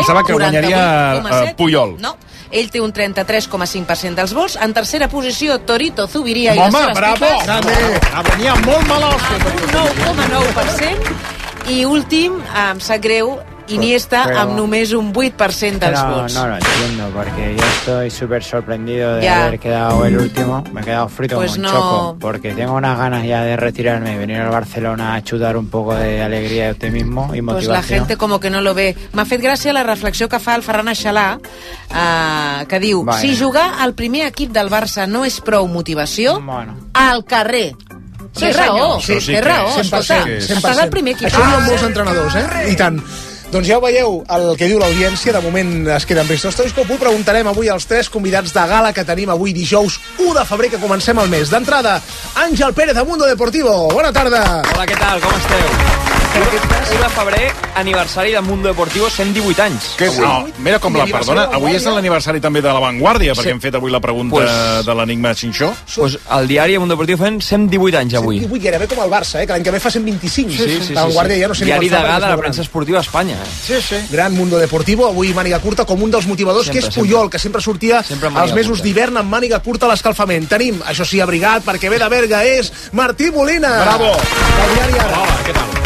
pensava que guanyaria Puyol. No, ell té un 33,5% dels vots. En tercera posició, Torito Zubiria i les seves bravo! Venia molt malós. Un 9,9%. I últim, em sap greu, Iniesta amb només un 8% dels vots. No lo entiendo, porque yo estoy súper sorprendido de haber quedado el último. Me he quedado frito como un choco, porque tengo unas ganas ya de retirarme y venir al Barcelona a chutar un poco de alegría y optimismo y motivación. Pues la gente como que no lo ve. M'ha fet gràcia la reflexió que fa el Ferran Aixalà, que diu, si jugar al primer equip del Barça no és prou motivació, al carrer. Té raó, té raó. 100%. Estàs al primer equip. Això diuen molts entrenadors, I tant. Doncs ja ho veieu, el que diu l'audiència. De moment es queda amb Risto Stoichkov. Ho preguntarem avui als 3 convidats de gala que tenim avui dijous 1 de febrer, que comencem el mes. D'entrada, Àngel Pérez de Mundo Deportivo. Bona tarda. Hola, què tal? Com esteu? 1 de febrer, aniversari de Mundo Deportivo, 118 anys. No, mira com la perdona. Avui és l'aniversari també de La Vanguardia, perquè hem fet avui la pregunta de l'enigma Xinxó. Pues el diari Mundo Deportivo fent 118 anys avui. 118, gairebé com el Barça, que l'any que ve fa 125. La Vanguardia ja no sé ni diari degà de la premsa esportiva a Espanya. Sí. Gran Mundo Deportivo, avui màniga curta com un dels motivadors, que és Puyol, que sempre sortia als mesos d'hivern amb màniga curta a l'escalfament. Tenim, això sí, abrigat, perquè ve de Berga, és Martí Molina. Bravo. Hola, què tal?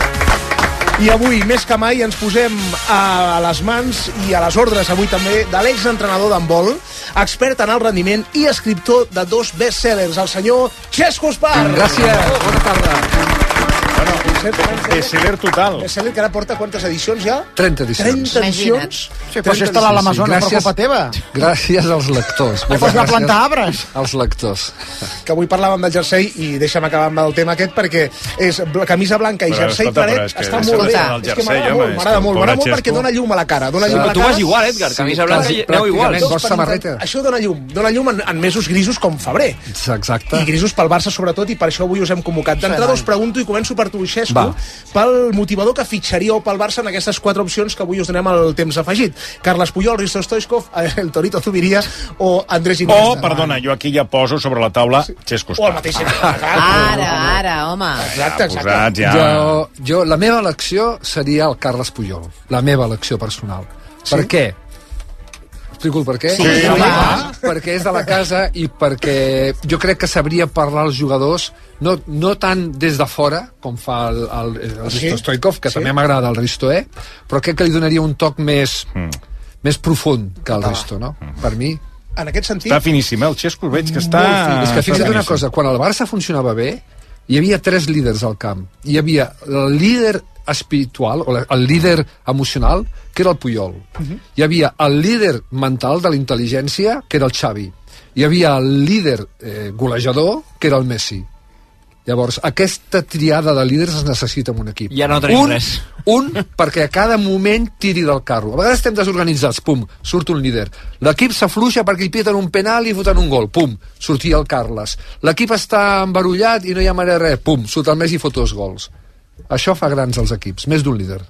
I avui, més que mai, ens posem a les mans i a les ordres, avui també, de l'exentrenador d'handbol, expert en el rendiment i escriptor de 2 bestsellers, el senyor Xesco Espar. Gràcies, bona tarda. Bestseller total. Bestseller que ara porta quantes edicions ja? 30 edicions. 30 edicions? Sí, però si està a l'Amazones, per culpa teva. Gràcies als lectors. Pues va plantar arbres. Als lectors. Que avui parlàvem del jersei i deixa'm acabar amb el tema aquest, perquè és camisa blanca i jersei claret, està molt bé. És que m'agrada molt perquè dona llum a la cara. Tu vas igual, Edgar, camisa blanca i aneu igual. Això dona llum en mesos grisos com febrer. Exacte. I grisos pel Barça sobretot, i per això avui us hem convocat. D'entrada us pregunto, i començo per tu, Xesco, pel motivador que fitxaríeu pel Barça en aquestes 4 opcions que avui us donem el temps afegit. Carles Puyol, Risto Stoichkov, el Torito Zubiria o Andrés Iniesta. O, perdona, jo aquí ja poso sobre la taula Xesco Espar. O el mateix. Ara, home. Exacte. Jo, la meva elecció seria el Carles Puyol. La meva elecció personal. Per què? Explico el per què? Sí. Perquè és de la casa i perquè jo crec que sabria parlar als jugadors no tant des de fora com fa el Risto Stoichkov, que també m'agrada el Risto, però crec que li donaria un toc més profund que el Risto, no? Per mi. En aquest sentit... Està finíssim, el Xesco veig que està... És que fixa't una cosa, quan el Barça funcionava bé, hi havia 3 líders al camp. Hi havia el líder espiritual, o el líder emocional, que era el Puyol. Hi havia el líder mental de la intel·ligència, que era el Xavi. Hi havia el líder golejador, que era el Messi. Llavors, aquesta triada de líders es necessita en un equip. I ara no tenim res. Un, perquè a cada moment tiri del carro. A vegades estem desorganitzats, pum, surt un líder. L'equip s'afluixa perquè hi piten un penal i foten un gol, pum, sortia el Carles. L'equip està embarullat i no hi ha manera de res, pum, surt el Messi i fot 2 gols. Això fa grans els equips, més d'un líder.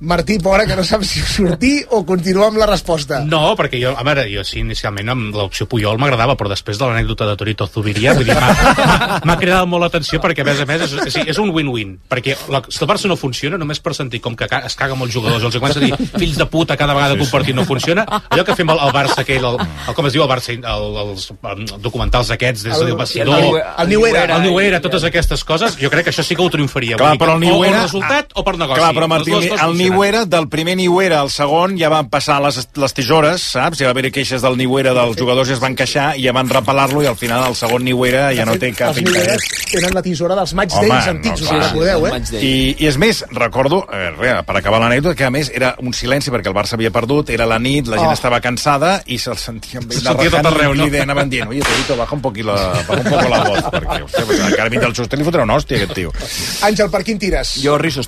Martí, pobre, que no sap si sortir o continuar amb la resposta. No, perquè jo sí, inicialment amb l'opció Puyol m'agradava, però després de l'anècdota de Torito Zubiria, vull dir, m'ha cridat molt l'atenció perquè, a més, és un win-win. Perquè si el Barça no funciona, només per sentir com que es caga molts jugadors, els comença a dir fills de puta cada vegada que un partit no funciona, allò que fem al Barça, aquell, com es diu el Barça, els documentals aquests, des del vestidor, el New Era, totes aquestes coses, jo crec que això sí que ho triomfaria. Clar, però el New Era... O resultat o per negoci. Clar, però Martí, el New Era, del primer New Era al segon, ja van passar les tisores, saps? Ja va haver queixes del New Era, dels jugadors ja es van queixar i ja van repelar-lo, i al final el segon New Era ja no té cap interès. Tenen la tisora dels match days antics, us recordeu, I és més, recordo, per acabar l'anècdota, que a més era un silenci perquè el Barça havia perdut, era la nit, la gent estava cansada i se'l sentia amb ell tot arreu, no? Anaven dient, oye, Torito, baja un poco la voz, perquè, hòstia, encara mig del sostre li fotrà una hòstia, aquest tio. Àngel, per quin tires? Jo, Risto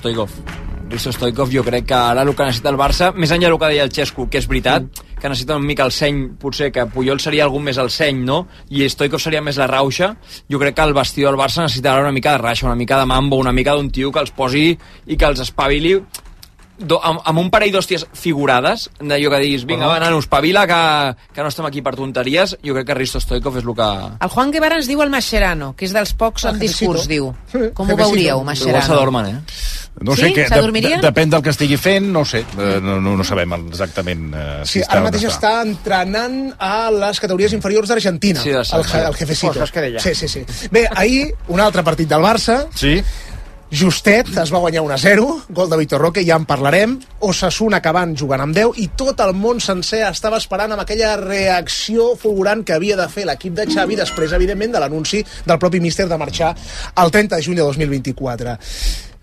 Stoichkov, jo crec que ara el que necessita el Barça, més enllà del que deia el Xesco, que és veritat, que necessita una mica el seny, potser que Puyol seria algun més el seny, no? I Stoichkov seria més la rauxa. Jo crec que el vestidor del Barça necessitarà una mica de raixa, una mica de mambo, una mica d'un tio que els posi i que els espavili amb un parell d'hòsties figurades, d'allò que diguis, vinga, va, nano, espavila, que no estem aquí per tonteries, jo crec que Risto Stoikov és el que... El Juan Guevara ens diu el Mascherano, que és dels pocs en discurs, diu. Com ho veuríeu, Mascherano? Igual s'adormen, No sé, depèn del que estigui fent, no sé, no sabem exactament si ara mateix està entrenant a les categories inferiors d'Argentina, el Jefecito. Sí. Bé, ahir, un altre partit del Barça, justet, es va guanyar 1-0, gol de Vitor Roque, ja en parlarem, Osasuna acabant jugant amb 10, i tot el món sencer estava esperant amb aquella reacció fulgurant que havia de fer l'equip de Xavi després, evidentment, de l'anunci del propi míster de marxar el 30 de juny de 2024.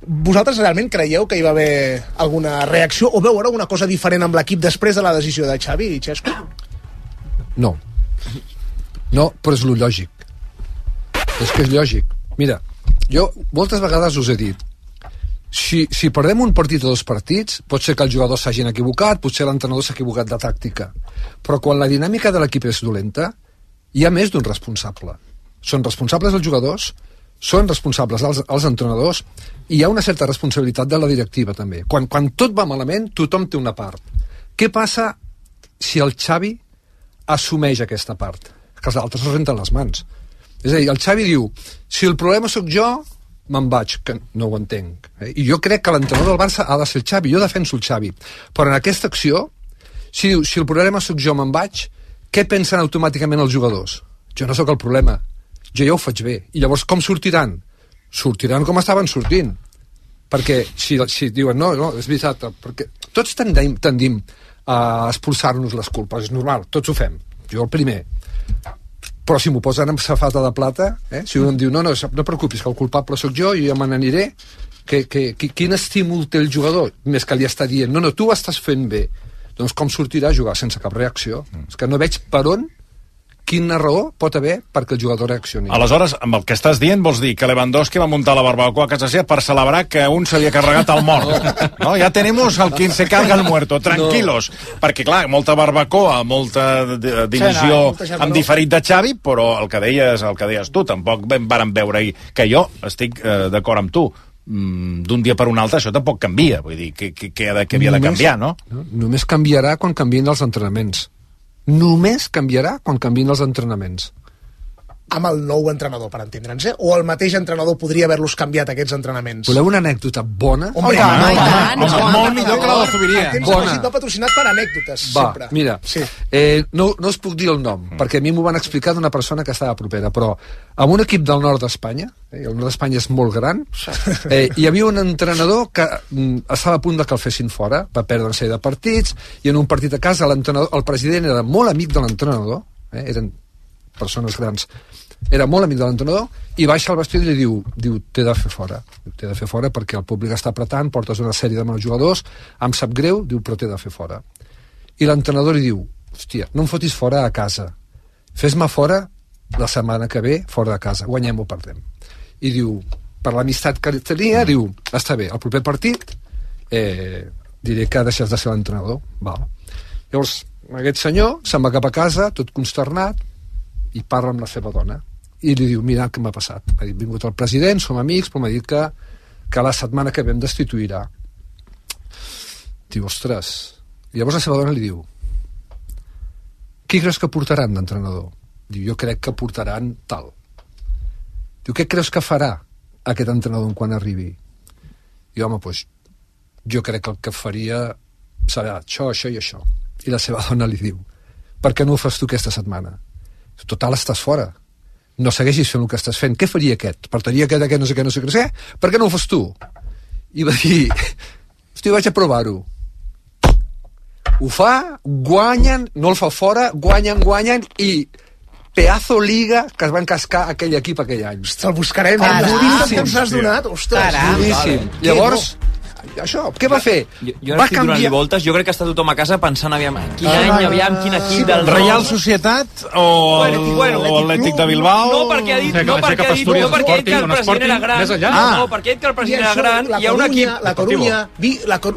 Vosaltres realment creieu que hi va haver alguna reacció o veu una cosa diferent amb l'equip després de la decisió de Xavi i Xesco? No, però és lo lògic. És que és lògic. Mira, jo moltes vegades us he dit, si perdem un partit o dos partits, pot ser que els jugadors s'hagin equivocat, potser l'entrenador s'ha equivocat de tàctica, però quan la dinàmica de l'equip és dolenta, hi ha més d'un responsable. Són responsables els jugadors, són responsables els entrenadors, i hi ha una certa responsabilitat de la directiva també. Quan tot va malament, tothom té una part. Què passa si el Xavi assumeix aquesta part? Que els altres es renten les mans. És a dir, el Xavi diu, si el problema sóc jo, me'n vaig, que no ho entenc. I jo crec que l'entrenador del Barça ha de ser el Xavi, jo defenso el Xavi. Però en aquesta acció, si diu, si el problema sóc jo, me'n vaig, què pensen automàticament els jugadors? Jo no sóc el problema, jo ja ho faig bé. I llavors com sortiran? Sortiran com estaven sortint. Perquè si diuen, no, és veritat, perquè tots tendim a expulsar-nos les culpes, és normal, tots ho fem, jo el primer. Però si m'ho posen amb safata de plata, si un em diu, no preocupis, que el culpable sóc jo, i jo me n'aniré, quin estímul té el jugador? Més que li està dient, no, tu ho estàs fent bé. Doncs com sortirà a jugar sense cap reacció? És que no veig per on, quina raó pot haver perquè el jugador reaccioni. Aleshores, amb el que estàs dient, vols dir que Lewandowski va muntar la barbacoa a casa seva per celebrar que un s'havia carregat el mort. No, ja tenemos el quien se carga el muerto, tranquilos. Perquè, clar, molta barbacoa, molta divisió amb diferit de Xavi, però el que deies tu, tampoc vàrem veure ahir, que jo estic d'acord amb tu. D'un dia per un altre això tampoc canvia, vull dir, que havia de canviar, no? Només canviarà quan canvien els entrenaments. Només canviarà quan canvien els entrenaments. Amb el nou entrenador, per entendre'ns, o el mateix entrenador podria haver-los canviat, aquests entrenaments? Voleu una anècdota bona? Home, molt millor que la de Zubiria. Bona. No patrocinat per anècdotes, sempre. Mira, no us puc dir el nom, perquè a mi m'ho van explicar d'una persona que estava propera, però amb un equip del nord d'Espanya, el nord d'Espanya és molt gran, hi havia un entrenador que estava a punt de que el fessin fora, va perdre una sèrie de partits, i en un partit a casa el president era molt amic de l'entrenador, eren persones grans, era molt amic de l'entrenador, i baixa al vestidor i li diu, t'he de fer fora perquè el públic està apretant, portes una sèrie de mals jugadors, em sap greu, diu, però t'he de fer fora. I l'entrenador li diu, hòstia, no em fotis fora a casa, fes-me fora la setmana que ve, fora de casa, guanyem o perdem. I diu, per l'amistat que tenia, diu, està bé, el proper partit diré que deixes de ser l'entrenador. Val. Llavors, aquest senyor se'n va cap a casa, tot consternat, i parla amb la seva dona i li diu, mira què m'ha passat, ha vingut el president, som amics, però m'ha dit que la setmana que ve em destituirà. Diu, ostres. I llavors la seva dona li diu, qui creus que portaran d'entrenador? Diu, jo crec que portaran tal. Diu, què creus que farà aquest entrenador quan arribi? Diu, home, doncs jo crec que el que faria serà això i això. I la seva dona li diu, per què no ho fas tu aquesta setmana? Total, estàs fora, no segueixis fent el que estàs fent, què faria aquest? Portaria aquest, no sé què, per què no ho fas tu? I va dir, hosti, vaig a provar-ho. Ho fa, guanyen, no el fa fora, guanyen, i pedazo liga que es van cascar aquell equip aquell any. Ostres, el buscarem, duríssim que ens has donat, ostres. Duríssim. Llavors, això, què va fer? Jo ara estic donant-li voltes, jo crec que està tothom a casa pensant aviam, quin any, aviam, quin equip del Real Societat o l'Atlètic de Bilbao? No, perquè ha dit que el president era gran. No, perquè ha dit que el president era gran, hi ha un equip... La Corunya,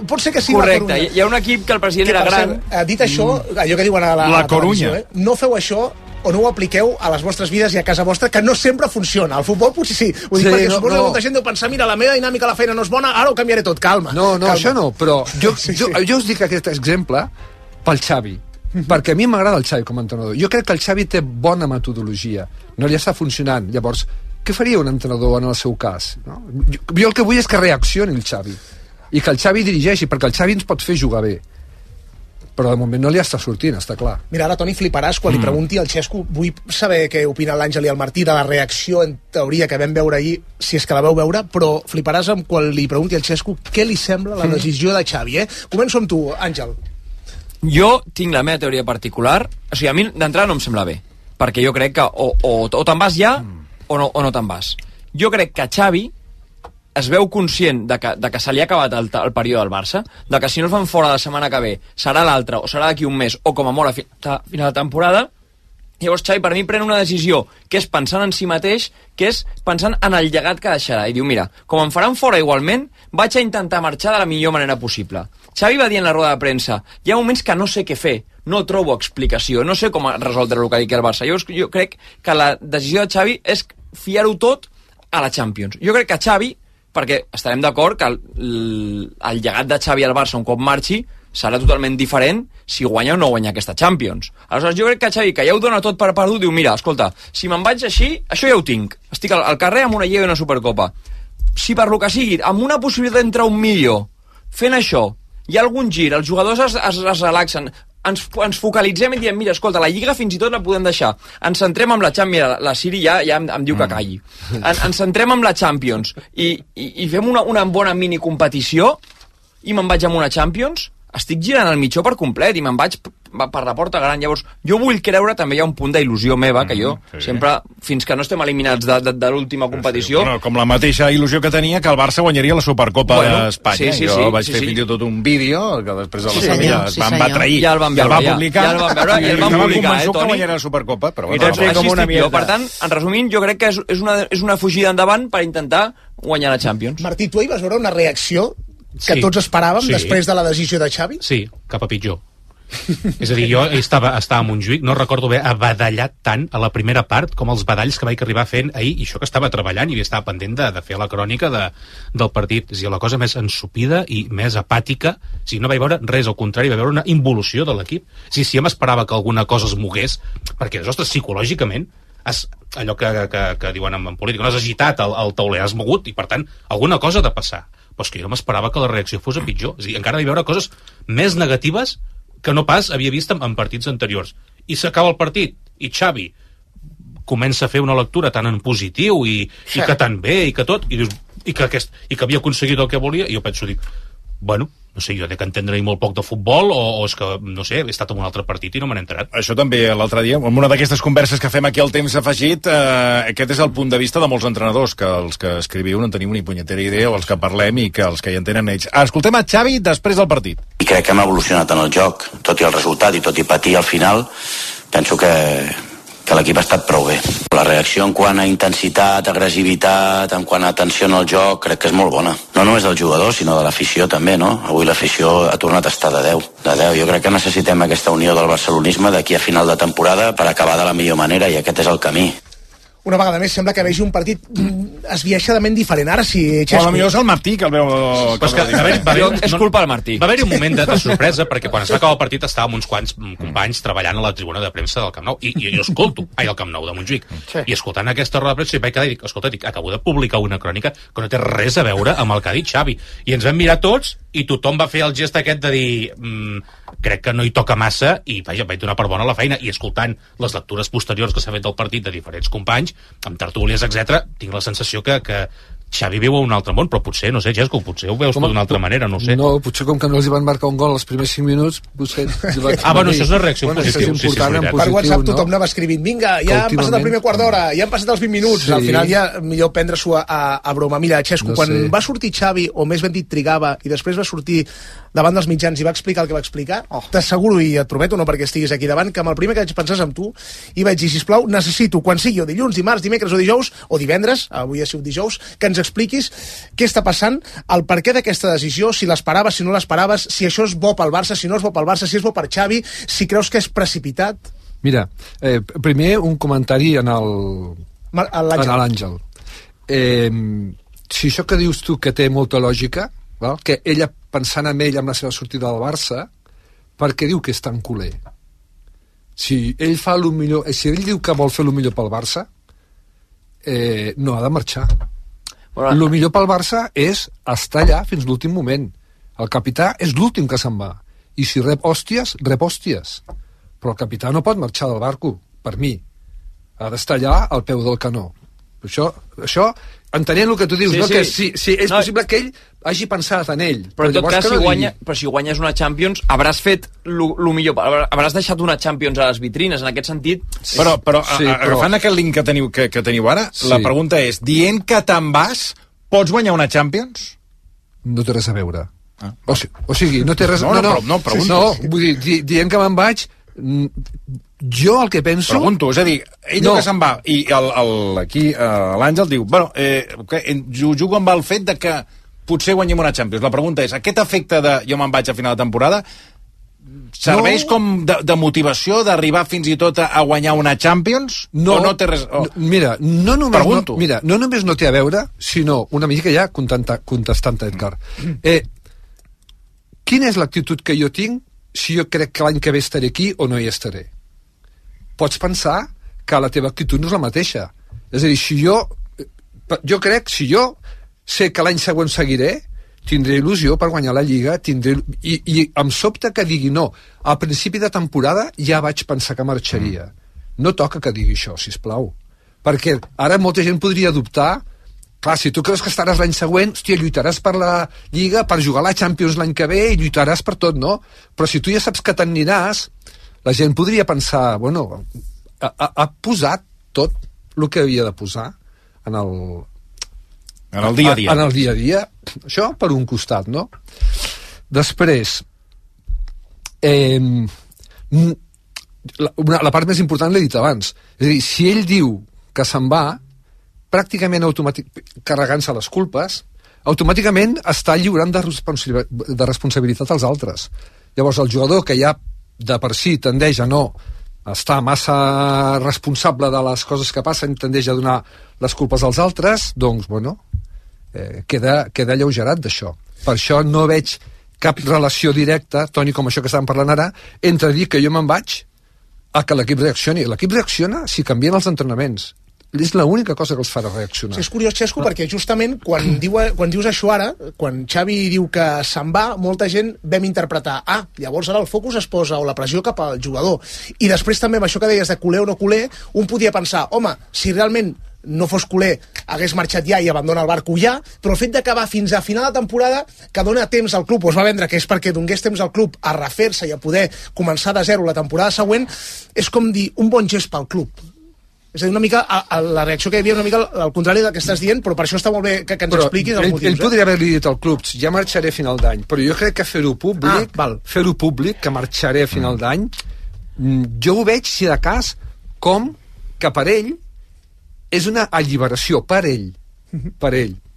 pot ser que sigui la Corunya. Hi ha un equip que el president era gran. Dit això, allò que diuen a la Corunya, no feu això o no ho apliqueu a les vostres vides i a casa vostra, que no sempre funciona. Al futbol potser sí. Ho dic perquè suposo que molta gent deu pensar, mira, la meva dinàmica a la feina no és bona, ara ho canviaré tot. Calma. No, això no, però jo us dic aquest exemple pel Xavi, perquè a mi m'agrada el Xavi com a entrenador. Jo crec que el Xavi té bona metodologia, no li està funcionant. Llavors, què faria un entrenador en el seu cas? No? Jo el que vull és que reaccioni el Xavi i que el Xavi dirigeixi, perquè el Xavi ens pot fer jugar bé, però de moment no li està sortint, està clar. Mira, ara, Toni, fliparàs quan li pregunti al Xesco. Vull saber què opina l'Àngel i el Martí de la reacció, en teoria, que vam veure ahir, si és que la veu veure, però fliparàs quan li pregunti al Xesco què li sembla la decisió de Xavi, Començo amb tu, Àngel. Jo tinc la meva teoria particular. O sigui, a mi d'entrada no em sembla bé, perquè jo crec que o te'n vas ja o no te'n vas. Jo crec que Xavi es veu conscient de que se li ha acabat el període del Barça, de que si no el fan fora la setmana que ve serà l'altra, o serà d'aquí un mes, o com a molt a final de temporada. Llavors Xavi per mi pren una decisió que és pensant en si mateix, que és pensant en el llegat que deixarà, i diu, mira, com em faran fora igualment, vaig a intentar marxar de la millor manera possible. Xavi va dir en la roda de premsa, hi ha moments que no sé què fer, no trobo explicació, no sé com resoldre el que digui el Barça. Jo crec que la decisió de Xavi és fiar-ho tot a la Champions. Jo crec que Xavi, perquè estarem d'acord que el llegat de Xavi al Barça un cop marxi serà totalment diferent si guanya o no guanya aquesta Champions. Aleshores jo crec que Xavi, que ja ho dona tot per perdut, diu, mira, escolta, si me'n vaig així, això ja ho tinc. Estic al carrer amb una Lliga i una Supercopa. Si per lo que sigui, amb una possibilitat d'entrar un millor, fent això, hi ha algun gir, els jugadors es relaxen, ens focalitzem i diem, mira, escolta, la Lliga fins i tot la podem deixar. Ens centrem amb la Champions. Mira, la Siri ja em diu que calli. Ens centrem amb la Champions i fem una bona minicompetició i me'n vaig amb una Champions. Estic girant el mitjó per complet i me'n vaig per la porta gran. Llavors, jo vull creure, també hi ha un punt d'il·lusió meva, que jo sempre, fins que no estem eliminats de l'última competició... Bueno, com la mateixa il·lusió que tenia que el Barça guanyaria la Supercopa d'Espanya. Jo vaig fer fins i tot un vídeo que després de la Sèrie es van batre ahir. Ja el van veure, ja el van veure i el van publicar, que guanyaria la Supercopa, però... Per tant, en resumint, jo crec que és una fugida endavant per intentar guanyar la Champions. Martí, tu ahir vas veure una reacció que tots esperàvem després de la decisió de Xavi? Sí, cap a pitjor. És a dir, jo estava a Montjuïc, no recordo haver badallat tant a la primera part com els badalls que vaig arribar fent ahir, i això que estava treballant i estava pendent de fer la crònica del partit. És a dir, la cosa més ensupida i més apàtica, o sigui, no vaig veure res, al contrari, vaig veure una involució de l'equip. Si ja m'esperava que alguna cosa es mogués, perquè, ostres, psicològicament, allò que diuen en política, no has agitat el tauler, has mogut, i per tant, alguna cosa ha de passar. Però és que jo no m'esperava que la reacció fos a pitjor. És a dir, encara vaig veure coses més negatives que no pas havia vist en partits anteriors. I s'acaba el partit, i Xavi comença a fer una lectura tan en positiu i que tan bé, i que tot, i dius, i que havia aconseguit el que volia, i jo penso, dic, bueno, no sé, jo he d'entendre molt poc de futbol, o és que, no sé, he estat en un altre partit i no me n'he enterat. Això també l'altre dia, en una d'aquestes converses que fem aquí al Temps Afegit, aquest és el punt de vista de molts entrenadors, que els que escriviu no en tenim ni punyetera idea, o els que parlem i que els que hi entenen ells. Escoltem a Xavi després del partit. I crec que hem evolucionat en el joc, tot i el resultat i tot i patir al final, penso que l'equip ha estat prou bé. La reacció en quant a intensitat, agressivitat, en quant a atenció al joc, crec que és molt bona. No només del jugador, sinó de l'afició també, no? Avui l'afició ha tornat a estar de 10. Jo crec que necessitem aquesta unió del barcelonisme d'aquí a final de temporada per acabar de la millor manera, i aquest és el camí. Una vegada més sembla que vegi un partit esbiaixadament diferent. Ara sí, Xesco. O potser és el Martí que el veu... És culpa del Martí. Va haver-hi un moment de sorpresa, perquè quan es va acabar el partit estava amb uns quants companys treballant a la tribuna de premsa del Camp Nou, i jo escolto, al Camp Nou de Montjuïc, i escoltant aquesta roda de premsa, vaig quedar i dic, escolta, acabo de publicar una crònica que no té res a veure amb el que ha dit Xavi. I ens vam mirar tots, i tothom va fer el gest aquest de dir crec que no hi toca massa, i vaja, vaig donar per bona la feina, i escoltant les lectures posteriors que s'ha fet del partit de diferents companys, amb tertúlies, etc., tinc la sensació que Xavi viu a un altre món, però potser, no sé, Xesco, potser ho veus d'una altra manera, no sé. No, potser com que no els hi van marcar un gol els primers 5 minuts, potser... bueno, això és una reacció positiva. Sí, per WhatsApp tothom anava escrivint, vinga, ja han passat el primer quart d'hora, ja han passat els 20 minuts, al final ja millor prendre-s'ho a broma. Mira, Xesco, quan va sortir Xavi, o més ben dit trigava, i després va sortir davant dels mitjans i va explicar el que va explicar, t'asseguro, i et prometo, no perquè estiguis aquí davant, que amb el primer que vaig pensar és amb tu, i vaig dir, sisplau, necessito, quan sigui o dilluns, dimarts, dimecres o dijous, o divendres, avui ha sigut dijous, que ens expliquis què està passant, el perquè d'aquesta decisió, si l'esperaves, si no l'esperaves, si això és bo pel Barça, si no és bo pel Barça, si és bo per Xavi, si creus que és precipitat. Mira, primer un comentari en l'Àngel. Si això que dius tu que té molta lògica, val? Que ella, pensant en ell amb la seva sortida del Barça, per què diu que és tan culer? Si ell fa el millor, si ell diu que vol fer el millor pel Barça, no ha de marxar. El millor pel Barça és estar allà fins l'últim moment. El capità és l'últim que se'n va. I si rep hòsties, rep hòsties. Però el capità no pot marxar del barco, per mi. Ha d'estar allà al peu del canó. Això entenent el que tu dius, sí, no? Sí. Que si és possible que ell hagi pensat en ell. Però en tot cas, si guanyes una Champions, hauràs fet el millor, hauràs deixat una Champions a les vitrines, en aquest sentit. Sí. Però agafant aquest link que teniu ara, sí. La pregunta és, dient que te'n vas, pots guanyar una Champions? No té res a veure. O sigui, no té res... No, pregunto. No, vull dir, dient que me'n vaig, jo el que penso... Pregunto, és a dir, ell que se'n va, i aquí l'Àngel diu, bueno, jugo amb el fet de que potser guanyem una Champions. La pregunta és, aquest efecte de jo me'n vaig a final de temporada serveix com de motivació d'arribar fins i tot a guanyar una Champions? O no té res... Mira, no només no té a veure, sinó una mica ja contestant a Edgar. Quina és l'actitud que jo tinc si jo crec que l'any que ve estaré aquí o no hi estaré? Pots pensar que la teva actitud no és la mateixa. És a dir, si jo sé que l'any següent seguiré, tindré il·lusió per guanyar la Lliga, i em sobta que digui no. Al principi de temporada ja vaig pensar que marxaria. No toca que digui això, sisplau. Perquè ara molta gent podria dubtar. Clar, si tu creus que estaràs l'any següent, hòstia, lluitaràs per la Lliga, per jugar a la Champions l'any que ve, i lluitaràs per tot, no? Però si tu ja saps que te'n aniràs, la gent podria pensar, bueno, ha posat tot el que havia de posar en el dia a dia. En el dia a dia. Això per un costat, no? Després, la part més important l'he dit abans. És a dir, si ell diu que se'n va, pràcticament carregant-se les culpes, automàticament està lliurant de responsabilitat als altres. Llavors, el jugador que ja de per si tendeix a no estar massa responsable de les coses que passen, tendeix a donar les culpes als altres, doncs, bueno, queda alleugerat d'això. Per això no veig cap relació directa, Toni, com això que estàvem parlant ara, entre dir que jo me'n vaig a que l'equip reaccioni. L'equip reacciona si canvien els entrenaments. És l'única cosa que els farà reaccionar. Sí, és curiós, Xesco, perquè justament quan dius això ara, quan Xavi diu que se'n va, molta gent vam interpretar, llavors ara el focus es posa, o la pressió cap al jugador. I després també amb això que deies de culer o no culer, un podia pensar, home, si realment no fos culer, hagués marxat ja i abandona el barco ja, però el fet d'acabar fins a final de temporada, que dona temps al club, o es va vendre que és perquè donés temps al club a refer-se i a poder començar de zero la temporada següent, és com dir un bon gest pel club. És a dir, una mica, la reacció que hi havia una mica al contrari del que estàs dient, però per això està molt bé que ens expliquis els motius. Ell podria haver-li dit al club, ja marxaré a final d'any, però jo crec que fer-ho públic, que marxaré a final d'any, jo ho veig, si de cas, com que per ell és una alliberació, per ell,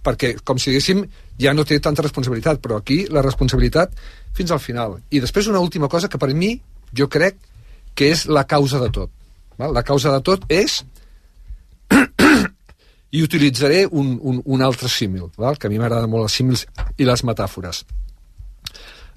perquè, com si diguéssim, ja no té tanta responsabilitat, però aquí la responsabilitat fins al final. I després una última cosa que per mi, jo crec que és la causa de tot. La causa de tot és i utilitzaré un altre símil, que a mi m'agraden molt els símils i les metàfores.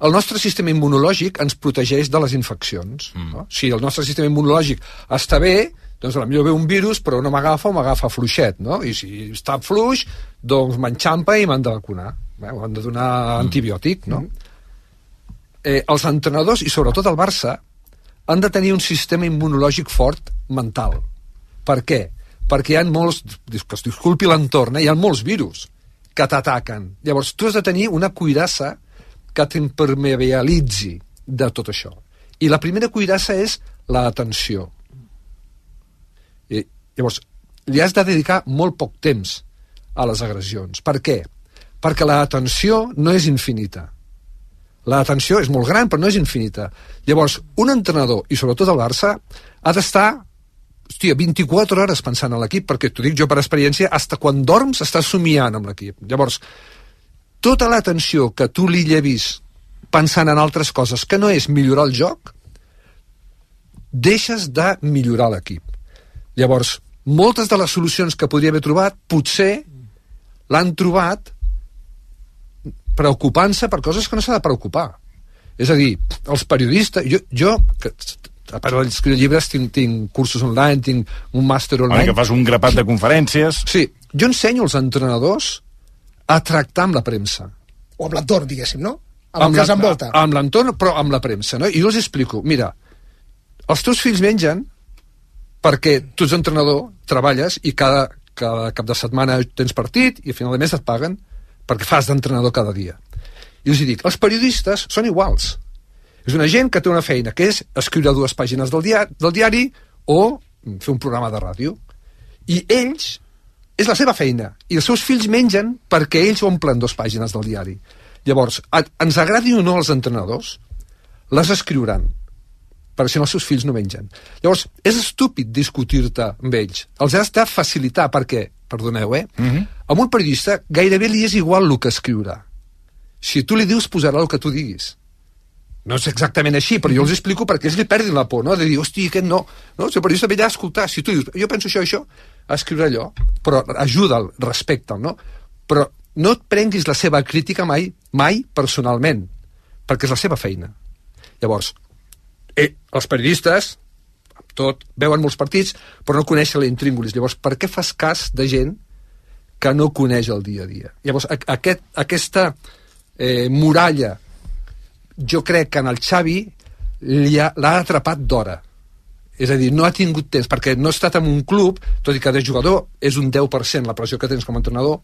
El nostre sistema immunològic ens protegeix de les infeccions. Si el nostre sistema immunològic està bé, doncs potser ve un virus però no m'agafa o m'agafa fluixet, no? I si està fluix, doncs m'enxampa i m'han de vacunar, m'han de donar antibiòtic, no? Els entrenadors, i sobretot el Barça, han de tenir un sistema immunològic fort mental. Per què? Perquè hi ha molts, que es disculpi l'entorn, hi ha molts virus que t'ataquen. Llavors tu has de tenir una cuirassa que t'impermeabilitzi de tot això. I la primera cuirassa és l'atenció. Llavors, li has de dedicar molt poc temps a les agressions. Per què? Perquè l'atenció no és infinita. L'atenció és molt gran, però no és infinita. Llavors, un entrenador, i sobretot el Barça, ha d'estar 24 hores pensant en l'equip, perquè t'ho dic jo per experiència, fins quan dorms estàs somiant amb l'equip. Llavors, tota l'atenció que tu li llevis pensant en altres coses, que no és millorar el joc, deixes de millorar l'equip. Llavors, moltes de les solucions que podria haver trobat, potser l'han trobat preocupant-se per coses que no s'ha de preocupar. És a dir, els periodistes... Jo que, a part d'escriure llibres, tinc cursos online, tinc un màster online... Que fas un grapat de conferències... Sí, jo ensenyo als entrenadors a tractar amb la premsa. O amb l'entorn, diguéssim, no? Amb el que els envolta. Amb l'entorn, però amb la premsa, no? I jo els explico, mira, els teus fills mengen perquè tu ets entrenador, treballes i cada cap de setmana tens partit i a final de mes et paguen perquè fas d'entrenador cada dia. I els dic, els periodistes són iguals. És una gent que té una feina, que és escriure 2 pàgines del diari o fer un programa de ràdio. I ells, és la seva feina. I els seus fills mengen perquè ells omplen 2 pàgines del diari. Llavors, ens agradi o no els entrenadors, les escriuran, perquè si no els seus fills no mengen. Llavors, és estúpid discutir-te amb ells. Els has de facilitar, perquè, perdoneu, amb un periodista gairebé li és igual el que escriurà. Si tu li dius, posarà el que tu diguis. No és exactament així, però jo els explico perquè ells li perdin la por, no? De dir, hosti, aquest no. No? Si el periodista ve allà a escoltar, si tu dius, jo penso això, a escriure allò, però ajuda'l, respecta'l, no? Però no et prenguis la seva crítica mai personalment, perquè és la seva feina. Llavors, els periodistes, tot, veuen molts partits, però no coneixen la intríngulis. Llavors, per què fas cas de gent que no coneix el dia a dia? Llavors, aquesta muralla, jo crec que en el Xavi l'ha atrapat d'hora. És a dir, no ha tingut temps, perquè no ha estat en un club, tot i que de jugador és un 10% la pressió que tens com a entrenador,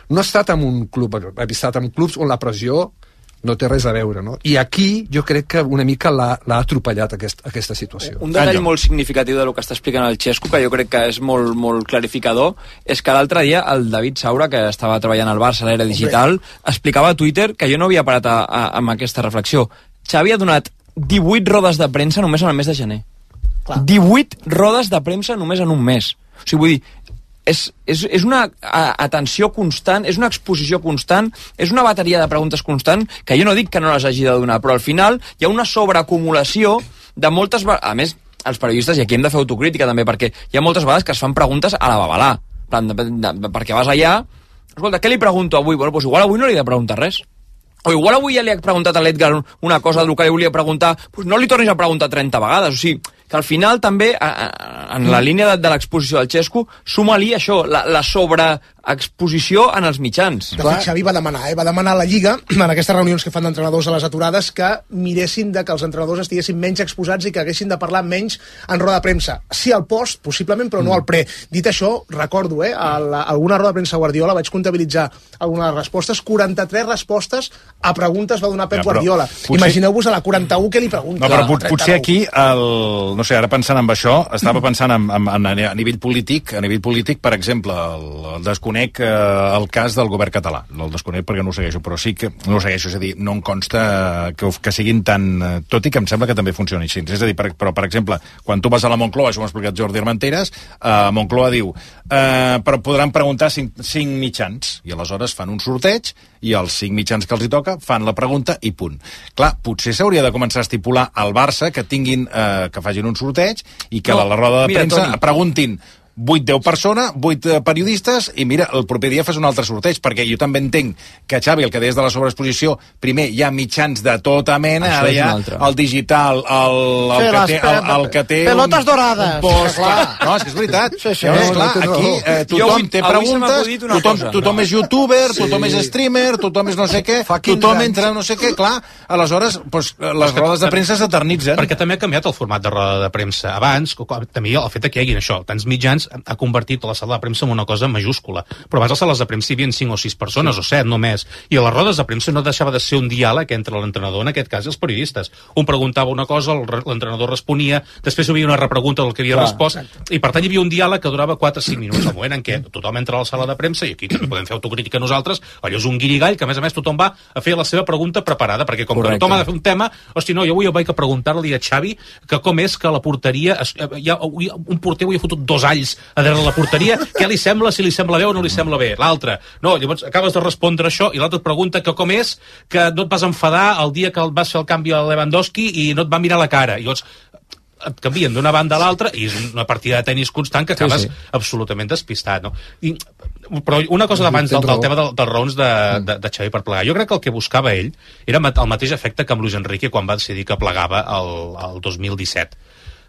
no ha estat en un club, ha estat en clubs on la pressió no té res a veure, no? I aquí jo crec que una mica l'ha atropellat aquesta situació. Un detall molt significatiu del que està explicant el Xesco, que jo crec que és molt, molt clarificador, és que l'altre dia el David Saura, que estava treballant al Barça a l'era digital, explicava a Twitter, que jo no havia parat amb aquesta reflexió, Xavi ha donat 18 rodes de premsa només en el mes de gener. Clar. 18 rodes de premsa només en un mes. O sigui, vull dir, és una atenció constant, és una exposició constant, és una bateria de preguntes constant, que jo no dic que no les hagi de donar, però al final hi ha una sobreacumulació de moltes... A més, els periodistes, i aquí hem de fer autocrítica també, perquè hi ha moltes vegades que es fan preguntes a la babalà, perquè vas allà, escolta, què li pregunto avui? Bueno, doncs igual avui no li he de preguntar res. O igual avui ja li he preguntat a l'Edgar una cosa del que li volia preguntar, doncs no li tornis a preguntar 30 vegades, o sigui, que al final també, en la línia de l'exposició del Xesco, suma-li això, la sobreexposició en els mitjans. De fet, Xavi va demanar a la Lliga, en aquestes reunions que fan d'entrenadors a les aturades, que miressin de que els entrenadors estiguessin menys exposats i que haguessin de parlar menys en roda de premsa. Sí al post, possiblement, però no al pre. Dit això, recordo, alguna roda de premsa Guardiola, vaig comptabilitzar algunes respostes, 43 respostes a preguntes va donar Pep Guardiola. Imagineu-vos a la 41 què li pregunta. No, però potser aquí no sé, ara pensant en això, estava pensant a nivell polític, per exemple, el desconec el cas del govern català. El desconec perquè no ho segueixo, però sí que no ho segueixo, és a dir, no em consta que siguin tan... Tot i que em sembla que també funcioni així. És a dir, però, per exemple, quan tu vas a la Moncloa, això m'ha explicat Jordi Armenteres, Moncloa diu, però podran preguntar 5 mitjans, i aleshores fan un sorteig, i els 5 mitjans que els hi toca fan la pregunta i punt. Clar, potser s'hauria de començar a estipular al Barça que facin un sorteig i que a la roda de premsa preguntin 8-10 persones, 8 periodistes, i mira, el proper dia fas un altre sorteig, perquè jo també entenc que, Xavi, el que deies de la sobreexposició, primer hi ha mitjans de tota mena, ara hi ha el digital, el que té pelotes dorades. No, és que és veritat. Aquí tothom té preguntes, tothom és youtuber, tothom és streamer, tothom és no sé què, tothom entra no sé què, clar, aleshores les rodes de premsa s'eternitzen. Perquè també ha canviat el format de roda de premsa. Abans, també el fet que hi hagin això, tants mitjans, ha convertit la sala de premsa en una cosa majúscula. Però abans a les sales de premsa hi havia 5 o 6 persones, o 7 només. I a les rodes de premsa no deixava de ser un diàleg entre l'entrenador, en aquest cas, i els periodistes. Un preguntava una cosa, l'entrenador responia, després hi havia una repregunta del que havia respost, i per tant hi havia un diàleg que durava 4 o 5 minuts. Al moment en què tothom entra a la sala de premsa, i aquí també podem fer autocrítica nosaltres, allò és un guirigall, que a més tothom va a fer la seva pregunta preparada, perquè com que tothom ha de fer un tema, hosti, no, jo avui vaig a preguntar-li a Xavi que com és que la porteria, un porter avui ha fotut 2 alls a darrere la porteria, què li sembla, si li sembla bé o no li sembla bé. L'altre, no, llavors acabes de respondre això i l'altre et pregunta que com és que no et vas enfadar el dia que vas fer el canvi a Lewandowski i no et va mirar la cara. I llavors, et canvien d'una banda a l'altra i és una partida de tenis constant que acabes absolutament despistat, no? Però una cosa d'abans del tema dels raons de Xavi per plegar. Jo crec que el que buscava ell era el mateix efecte que amb Luis Enrique quan va decidir que plegava el 2017,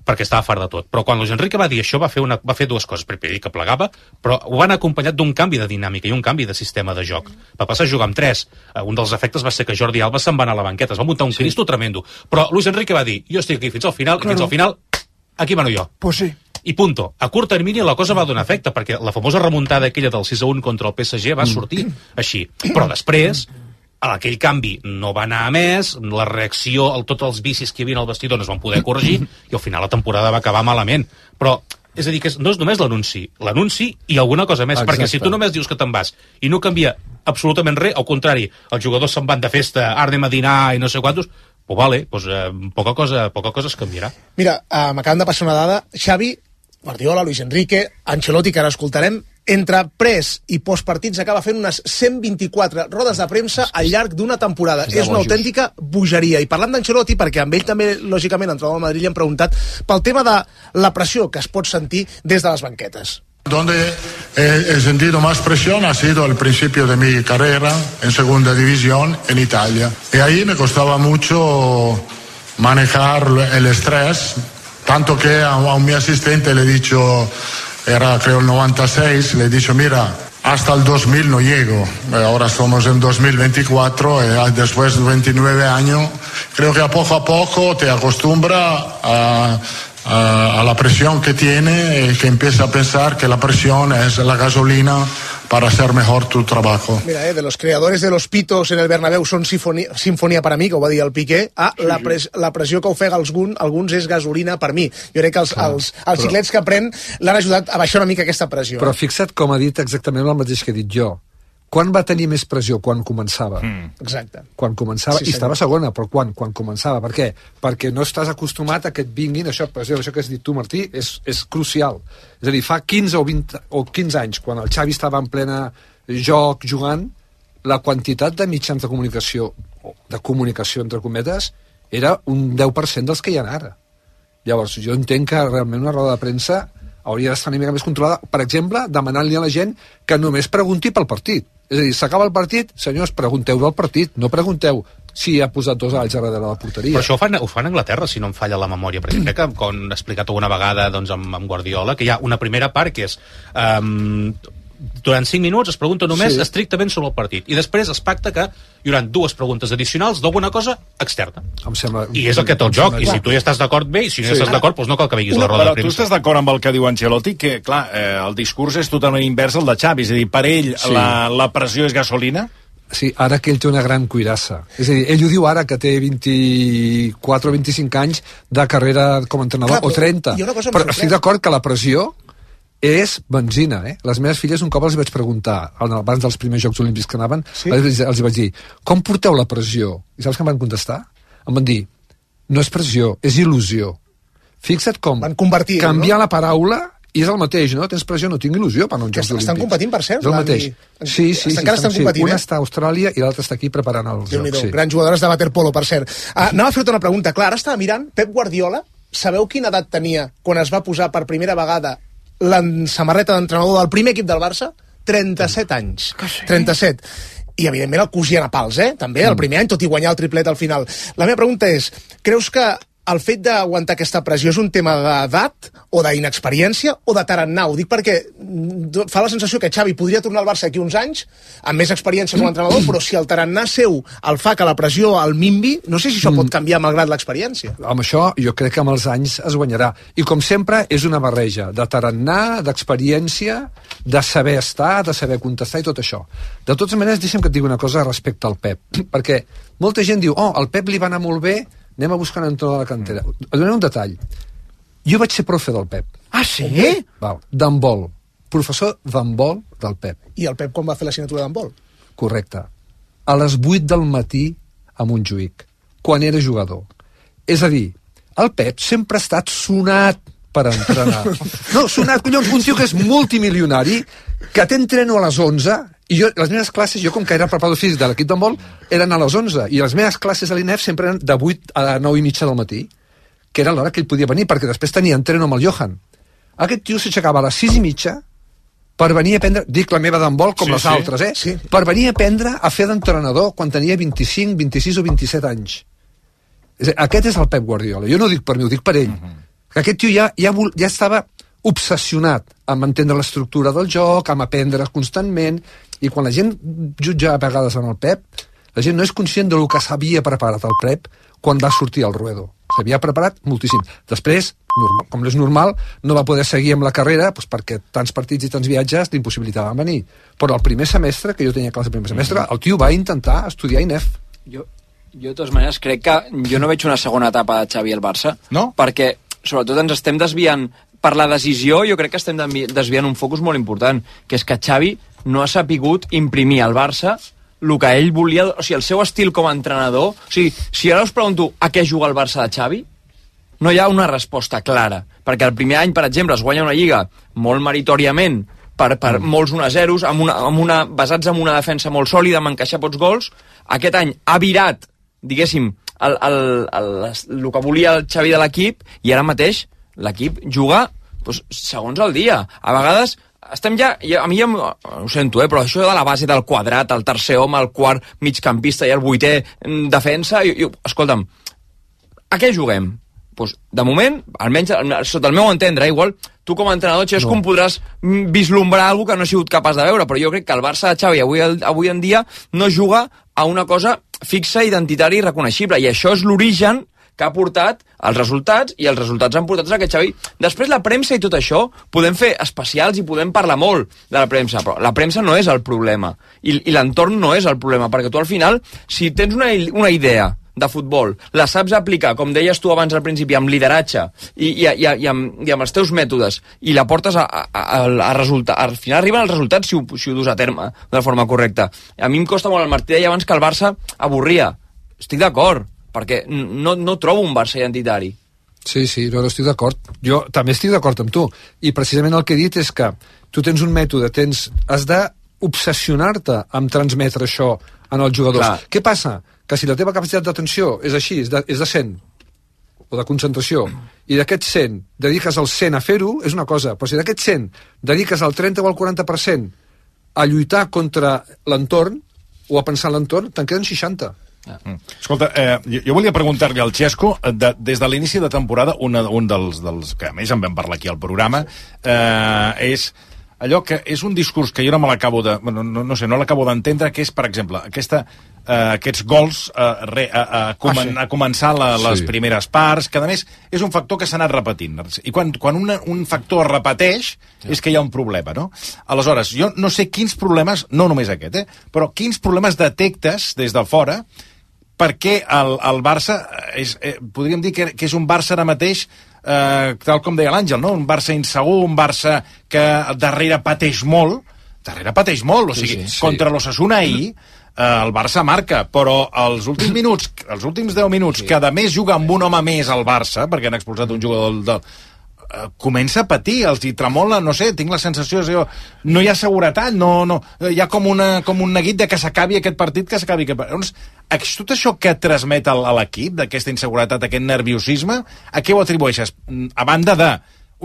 perquè estava fart de tot. Però quan Luis Enrique va dir això va fer dues coses. Primer dir que plegava, però ho van acompanyat d'un canvi de dinàmica i un canvi de sistema de joc. Va passar a jugar amb 3. Un dels efectes va ser que Jordi Alba se'n va anar a la banqueta, es va muntar un cristo tremendo. Però Luis Enrique va dir, jo estic aquí fins al final, i fins al final, aquí mano jo. Pues sí. I punto. A curt termini la cosa va donar efecte, perquè la famosa remuntada aquella del 6-1 contra el PSG va sortir així. Però després, aquell canvi no va anar a més, la reacció, tots els vicis que hi havia al vestidor no es van poder corregir, i al final la temporada va acabar malament. Però, és a dir, que no és només l'anunci i alguna cosa més, perquè si tu només dius que te'n vas i no canvia absolutament res, al contrari, els jugadors se'n van de festa, ara anem a dinar i no sé quantos, pues vale, pues, poca cosa es canviarà. Mira, m'acaben de passar una dada. Xavi, Guardiola, Luis Enrique, Ancelotti, que ara escoltarem, entre pres i postpartits acaba fent unes 124 rodes de premsa al llarg d'una temporada. És una autèntica bogeria. I parlant d'Ancelotti, perquè amb ell també, lògicament, entrenador del Madrid, li han preguntat pel tema de la pressió que es pot sentir des de les banquetes. Donde he sentido más presión ha sido al principio de mi carrera en segunda división en Italia. Y ahí me costaba mucho manejar el estrés, tanto que a mi asistente le he dicho, era creo el 96, le he dicho, mira, hasta el 2000 no llego. Ahora somos en 2024 y después de 29 años, creo que a poco te acostumbra a la presión que tiene y que empieza a pensar que la presión es la gasolina para hacer mejor tu trabajo. Mira, de los creadores de los pitos en el Bernabéu són sinfonia per a mi, que ho va dir el Piqué. La pressió que ofega alguns és gasolina per mi. Jo crec que els xiclets que pren l'han ajudat a baixar una mica aquesta pressió. Però fixa't com ha dit exactament el mateix que he dit jo. Quan va tenir més pressió? Quan començava. Exacte. Quan començava, i estava segona, però quan començava. Per què? Perquè no estàs acostumat a que et vinguin, això que has dit tu, Martí, és crucial. És a dir, fa 15 o 20 o 15 anys, quan el Xavi estava en plena joc, jugant, la quantitat de mitjans de comunicació entre cometes, era un 10% dels que hi ha ara. Llavors, jo entenc que realment una roda de premsa hauria d'estar una mica més controlada, per exemple, demanant-li a la gent que només pregunti pel partit. És a dir, s'acaba el partit, senyors, pregunteu del partit, no pregunteu si ha posat 2 alls a darrere de la porteria. Però això ho fan a Anglaterra, si no em falla la memòria, perquè crec que, com he explicat alguna vegada doncs, amb Guardiola, que hi ha una primera part que és durant 5 minuts es pregunta només estrictament sobre el partit, i després es pacta que hi haurà 2 preguntes addicionals d'alguna cosa externa. I és el que té el joc, i si tu ja estàs d'acord bé, i si no estàs d'acord, doncs no cal que vegis la roda de premsa. Però tu estàs d'acord amb el que diu Ancelotti, que, clar, el discurs és totalment invers al de Xavi, és a dir, per ell la pressió és gasolina? Sí, ara que ell té una gran cuirassa. És a dir, ell ho diu ara, que té 24 o 25 anys de carrera com a entrenador, o 30. Però estic d'acord que la pressió és benzina, Les meves filles, un cop els vaig preguntar, abans dels primers Jocs Olímpics que anaven, els vaig dir, com porteu la pressió? I saps què em van contestar? Em van dir, no és pressió, és il·lusió. Fixa't com canviar la paraula i és el mateix, no? Tens pressió, no tinc il·lusió per anar uns Jocs Olímpics. Estan competint, per cert? És el mateix. Sí, encara estan competint, Una està a Austràlia i l'altra està aquí preparant els Jocs. Grans jugadores de waterpolo, per cert. Anava a fer-te una pregunta. Clar, ara estava mirant, Pep Guardiola, sabeu quina edat tenia quan es va posar per primera vegada la samarreta d'entrenador del primer equip del Barça? 37 anys. 37. I, evidentment, el cosien a pals, també, el primer any, tot i guanyar el triplet al final. La meva pregunta és, creus que el fet d'aguantar aquesta pressió és un tema d'edat o d'inexperiència o de tarannà? Ho dic perquè fa la sensació que Xavi podria tornar al Barça aquí uns anys amb més experiència com a entrenador, però si el tarannà seu el fa que la pressió el minvi, no sé si això pot canviar malgrat l'experiència. Amb això jo crec que amb els anys es guanyarà. I com sempre és una barreja de tarannà, d'experiència, de saber estar, de saber contestar i tot això. De totes maneres, deixa'm que et digui una cosa respecte al Pep, perquè molta gent diu, al Pep li va anar molt bé, anem a buscar un entrenador de la cantera. Et donaré un detall. Jo vaig ser profe del Pep. Ah, sí? D'handbol. Professor d'handbol del Pep. I el Pep com va fer l'assignatura d'handbol? Correcte. A les 8 del matí a Montjuïc, quan era jugador. És a dir, el Pep sempre ha estat sonat per entrenar. No, sonat, collons, un tio que és multimilionari, que t'entreno a les 11, i jo, les meves classes, jo com que era preparador físic de l'equip d'handbol, eren a les 11, i les meves classes a l'INEF sempre eren de 8 a 9 i mitja del matí. que era l'hora que ell podia venir, perquè després tenia entreno amb el Johan. Aquest tio s'aixecava a les 6:30 per venir a aprendre, dic la meva d'handbol com les altres, per venir a aprendre a fer d'entrenador quan tenia 25, 26 o 27 anys. Aquest és el Pep Guardiola. Jo no ho dic per mi, ho dic per ell. Que aquest tio ja estava obsessionat amb entendre l'estructura del joc, amb aprendre constantment, i quan la gent jutja a vegades amb el Pep, la gent no és conscient del que s'havia preparat el Pep quan va sortir al Ruedo. S'havia preparat moltíssim. Després, com és normal, no va poder seguir amb la carrera perquè tants partits i tants viatges l'impossibilitaven venir. Però el primer semestre, que jo tenia classe el primer semestre, el tio va intentar estudiar INEF. Jo de totes maneres, crec que jo no veig una segona etapa de Xavi al Barça, perquè sobretot ens estem desviant per la decisió, jo crec que estem desviant un focus molt important, que és que Xavi no ha sapigut imprimir al Barça el que ell volia, o sigui, el seu estil com a entrenador. O sigui, si ara us pregunto a què juga el Barça de Xavi, no hi ha una resposta clara, perquè el primer any, per exemple, es guanya una lliga molt meritòriament per molts 1-0, basats en una defensa molt sòlida, amb encaixar pocs gols. Aquest any ha virat, diguéssim, el que volia el Xavi de l'equip, i ara mateix l'equip juga segons el dia. A vegades estem ja, a mi ja ho sento, però això de la base del quadrat, el tercer home, el quart migcampista i el vuitè defensa, escolta'm, a què juguem? Doncs, de moment, almenys sota el meu entendre, igual tu com a entrenador, Xesco, em podràs vislumbrar alguna que no he sigut capaç de veure, però jo crec que el Barça de Xavi avui en dia no juga a una cosa fixa, identitària i reconeixible, i això és l'origen que ha portat els resultats, i els resultats han portat a aquest Xavi. Després la premsa i tot això, podem fer especials i podem parlar molt de la premsa, però la premsa no és el problema, i l'entorn no és el problema, perquè tu al final, si tens una idea de futbol, la saps aplicar, com deies tu abans al principi, amb lideratge i amb els teus mètodes, i la portes a resultar, al final arriben els resultats si ho dus a terme de forma correcta. A mi em costa molt, el Martí deia abans que el Barça avorria. Estic d'acord, perquè no trobo un Barça identitari. Sí, no estic d'acord. Jo també estic d'acord amb tu, i precisament el que he dit és que tu tens un mètode, has d'obsessionar-te amb transmetre això en els jugadors. Clar. Què passa? Que si la teva capacitat d'atenció és així, és de 100, o de concentració, i d'aquest 100 dediques el 100 a fer-ho, és una cosa, però si d'aquest 100 dediques el 30 o el 40% a lluitar contra l'entorn, o a pensar en l'entorn, te'n queden 60. Escolta, jo volia preguntar-li al Xesco, des de l'inici de temporada, un dels que a més en vam parlar aquí al programa, és allò que és un discurs que jo no me l'acabo de... no sé, no l'acabo d'entendre, que és, per exemple, aquests gols a començar les primeres parts, que a més és un factor que s'ha anat repetint. I quan un factor es repeteix és que hi ha un problema, no? Aleshores, jo no sé quins problemes, no només aquest, però quins problemes detectes des de fora perquè el Barça, podríem dir que és un Barça ara mateix, tal com deia l'Àngel, no? Un Barça insegur, un Barça que darrere pateix molt, o sigui, contra l'Osasuna ahir, el Barça marca, però els últims 10 minuts, que a més juga amb un home més al Barça, perquè han expulsat un jugador comença a patir, els hi tremola, no sé, tinc la sensació, no hi ha seguretat, hi ha com un neguit de que s'acabi aquest partit, Llavors, tot això que transmet a l'equip, d'aquesta inseguretat, aquest nerviosisme, a què ho atribueixes? A banda de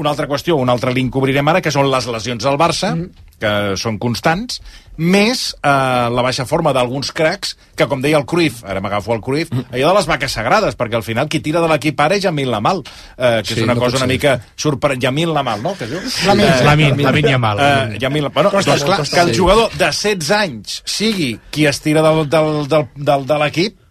una altra qüestió, un altre link que obrirem ara, que són les lesions del Barça, que són constants, més la baixa forma d'alguns cracs, que com deia el Cruyff, ara m'agafo el Cruyff, allò de les vaques sagrades, perquè al final qui tira de l'equip ara és Yamin Lamal, que és una cosa una mica sorprenent. Yamin Lamal, no? Lamin Yamal. Bueno, doncs clar, que el jugador de 16 anys sigui qui es tira de l'equip,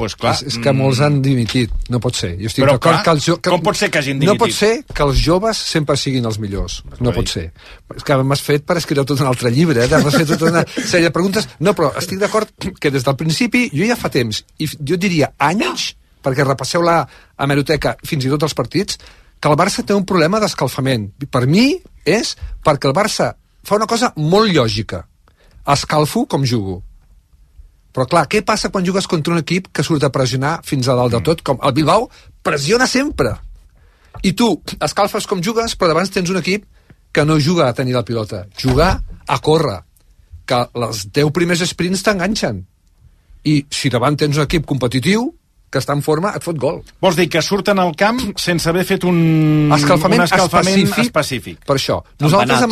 pues clar, és que molts han dimitit, no pot ser. Jo estic d'acord que com pot ser que hagin dimitit? No pot ser que els joves sempre siguin els millors. No pot ser. És que m'has fet per escriure tot un altre llibre, m'has fet tota una sèrie de preguntes. No, però estic d'acord que des del principi, jo ja fa temps, i jo diria anys, perquè repasseu la hemeroteca fins i tot els partits, que el Barça té un problema d'escalfament. Per mi és perquè el Barça fa una cosa molt lògica. Escalfo com jugo. Però clar, què passa quan jugues contra un equip que surt a pressionar fins a dalt de tot? Com el Bilbao pressiona sempre. I tu escalfes com jugues, però davant tens un equip que no juga a tenir la pilota, juga a córrer, que les 10 primers sprints t'enganxen. I si davant tens un equip competitiu, que està en forma, et fot gol. Vols dir que surten al camp sense haver fet un escalfament específic. Per això. Nosaltres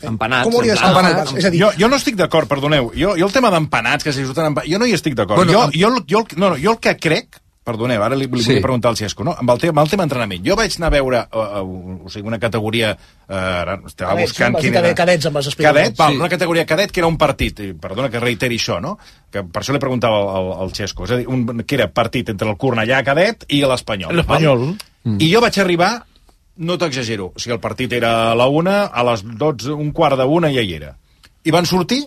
empanats. Com hauria d'estar empanats? És a dir, jo no estic d'acord, perdoneu. Jo el tema d'empanats, que si surten empanats, jo no hi estic d'acord. Bueno, jo el que crec, perdoneu, ara li volia preguntar al Xesco, no? Amb el tema entrenament. Jo vaig anar a veure una categoria... estava buscant quin era... Cadets, amb les explicacions. Cadet, una categoria cadet, que era un partit. Perdona que reiteri això, no? Que per això li preguntava al Xesco. És a dir, que era partit entre el Cornellà cadet i l'Espanyol. L'Espanyol. I jo vaig arribar, no t'exagero, o sigui, el partit era a la 1, a les 12, un quart de 1 ja hi era. I van sortir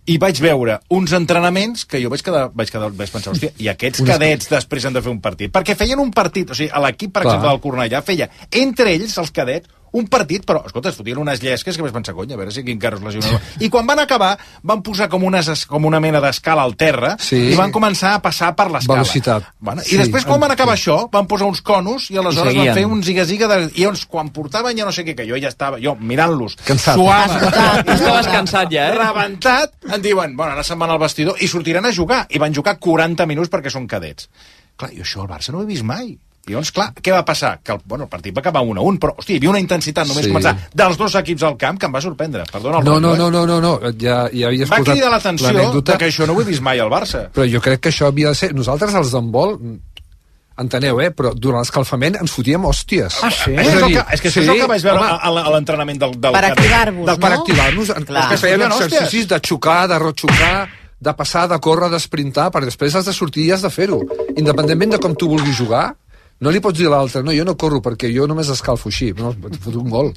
i vaig veure uns entrenaments que jo vaig pensar, hòstia, i aquests cadets després han de fer un partit. Perquè feien un partit, o sigui, l'equip, per exemple, del Cornellà feia entre ells, els cadets, un partit, però, escolta, es fotien unes llesques que vaig pensar, cony, a veure si quin carro es lesionava. I quan van acabar, van posar com una mena d'escala al terra i van començar a passar per l'escala. Velocitat. Bueno, I després, quan van acabar això, van posar uns conos i aleshores van fer un ziga-ziga i llavors, quan portaven ja no sé què, que jo ja estava, mirant-los, suava, estaves cansat ja, rebentat, em diuen, bueno, ara se'n van al vestidor i sortiran a jugar. I van jugar 40 minuts perquè són cadets. Clar, jo això al Barça no ho he vist mai. I llavors, clar, què va passar? Que el partit va acabar 1-1, però, hòstia, hi havia una intensitat només començar dels dos equips al camp que em va sorprendre. Perdona el No, ja havies va cridar l'atenció que això no ho he vist mai al Barça. Però jo crec que això havia de ser... Nosaltres, els d'handbol, enteneu, però durant l'escalfament ens fotíem hòsties. Ah, sí? És que això és el que vaig veure a l'entrenament del per activar-vos, no? Per activar-nos. Que feien exercicis de xocar, de rotxocar, de passar, de córrer, d'esprintar, perquè després has de sortir i has de fer-ho. Independentment de com tu vulguis jugar, no li pots dir a l'altre, no, jo no corro perquè jo només escalfo així, no, et foto un gol.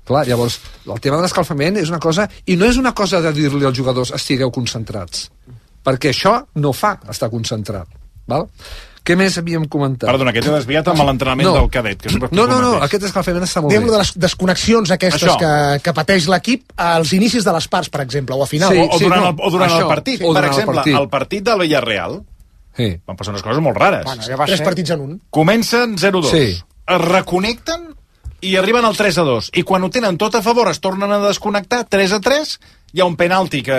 Clar, llavors, el tema de l'escalfament és una cosa, i no és una cosa de dir-li als jugadors estigueu concentrats, perquè això no fa estar concentrat, val? Què més havíem comentat? Perdona, que t'he desviat amb l'entrenament del cadet. No, aquest escalfament està molt bé. Diguem-lo de les desconnexions aquestes que pateix l'equip als inicis de les parts, per exemple, o a final. O durant el partit. Per exemple, el partit del Villarreal, van passar unes coses molt rares. Bueno, ja 3 partits en un. Comencen 0-2, es reconnecten i arriben al 3-2. I quan ho tenen tot a favor es tornen a desconnectar, 3-3, hi ha un penalti que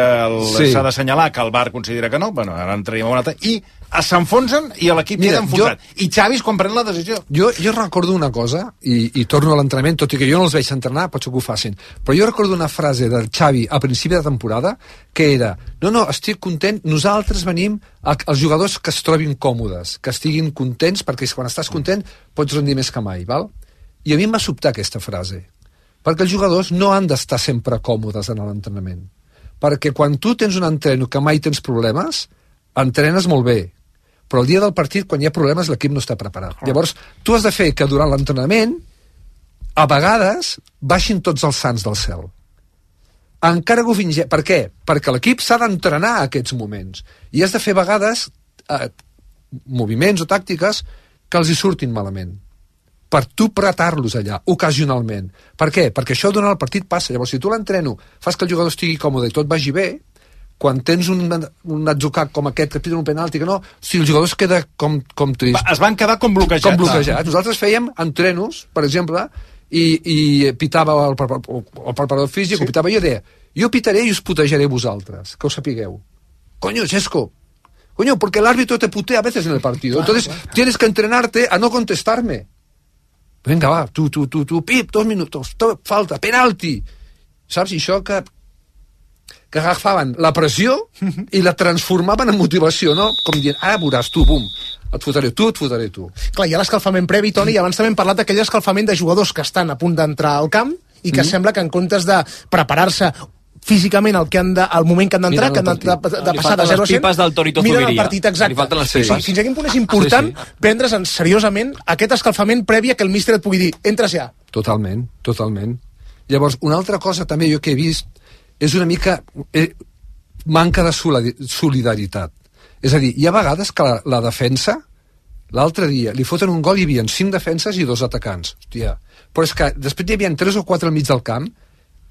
s'ha d'assenyalar, que el VAR considera que no, bueno, ara entraríem a una altra, i s'enfonsen i l'equip queda enfonsat. I Xavi és quan pren la decisió. Jo recordo una cosa, i torno a l'entrenament, tot i que jo no els veig entrenar, potser que ho facin, però jo recordo una frase del Xavi a principi de temporada, que era, no, estic content, nosaltres venim als jugadors que es trobin còmodes, que estiguin contents, perquè quan estàs content pots rendir més que mai, val? I a mi em va sobtar aquesta frase, perquè els jugadors no han d'estar sempre còmodes en l'entrenament, perquè quan tu tens un entreno que mai tens problemes, entrenes molt bé, però el dia del partit, quan hi ha problemes, l'equip no està preparat. Llavors, tu has de fer que durant l'entrenament, a vegades, baixin tots els sants del cel. Encara que ho fingeix. Per què? Perquè l'equip s'ha d'entrenar a aquests moments. I has de fer a vegades moviments o tàctiques que els hi surtin malament. Per tu pretar-los allà, ocasionalment. Per què? Perquè això durant el partit passa. Llavors, si tu l'entreno, fas que el jugador estigui còmode i tot vagi bé, quan tens un atzucac com aquest que piden un penalti, que no, si el jugador es queda com trist. Es van quedar com bloquejats. Nosaltres fèiem entrenos, per exemple, i pitava el preparador físic, o pitava, jo deia, jo pitaré i us putejaré vosaltres, que ho sapigueu. Coño, Xesco, porque el árbitro te putea a veces en el partido, entonces tienes que entrenarte a no contestarme. Venga, va, tu, pip, 2 minutos, falta, penalti. Saps? I això que agafaven la pressió i la transformaven en motivació, no? Com dient, ara veuràs tu, bum, et fotré tu. Clar, hi ha l'escalfament previ, Toni, i abans també hem parlat d'aquell escalfament de jugadors que estan a punt d'entrar al camp i que sembla que en comptes de preparar-se físicament al moment que han d'entrar, que han de passar de 0 a 100, miren el partit, exacte. Fins a quin punt és important prendre's seriosament aquest escalfament previ a que el míster et pugui dir, entres ja. Totalment. Llavors, una altra cosa també jo que he vist és una mica manca de solidaritat. És a dir, hi ha vegades que la defensa, l'altre dia, li foten un gol i hi havia 5 defenses i 2 atacants. Hòstia. Però és que després hi havia 3 o 4 al mig del camp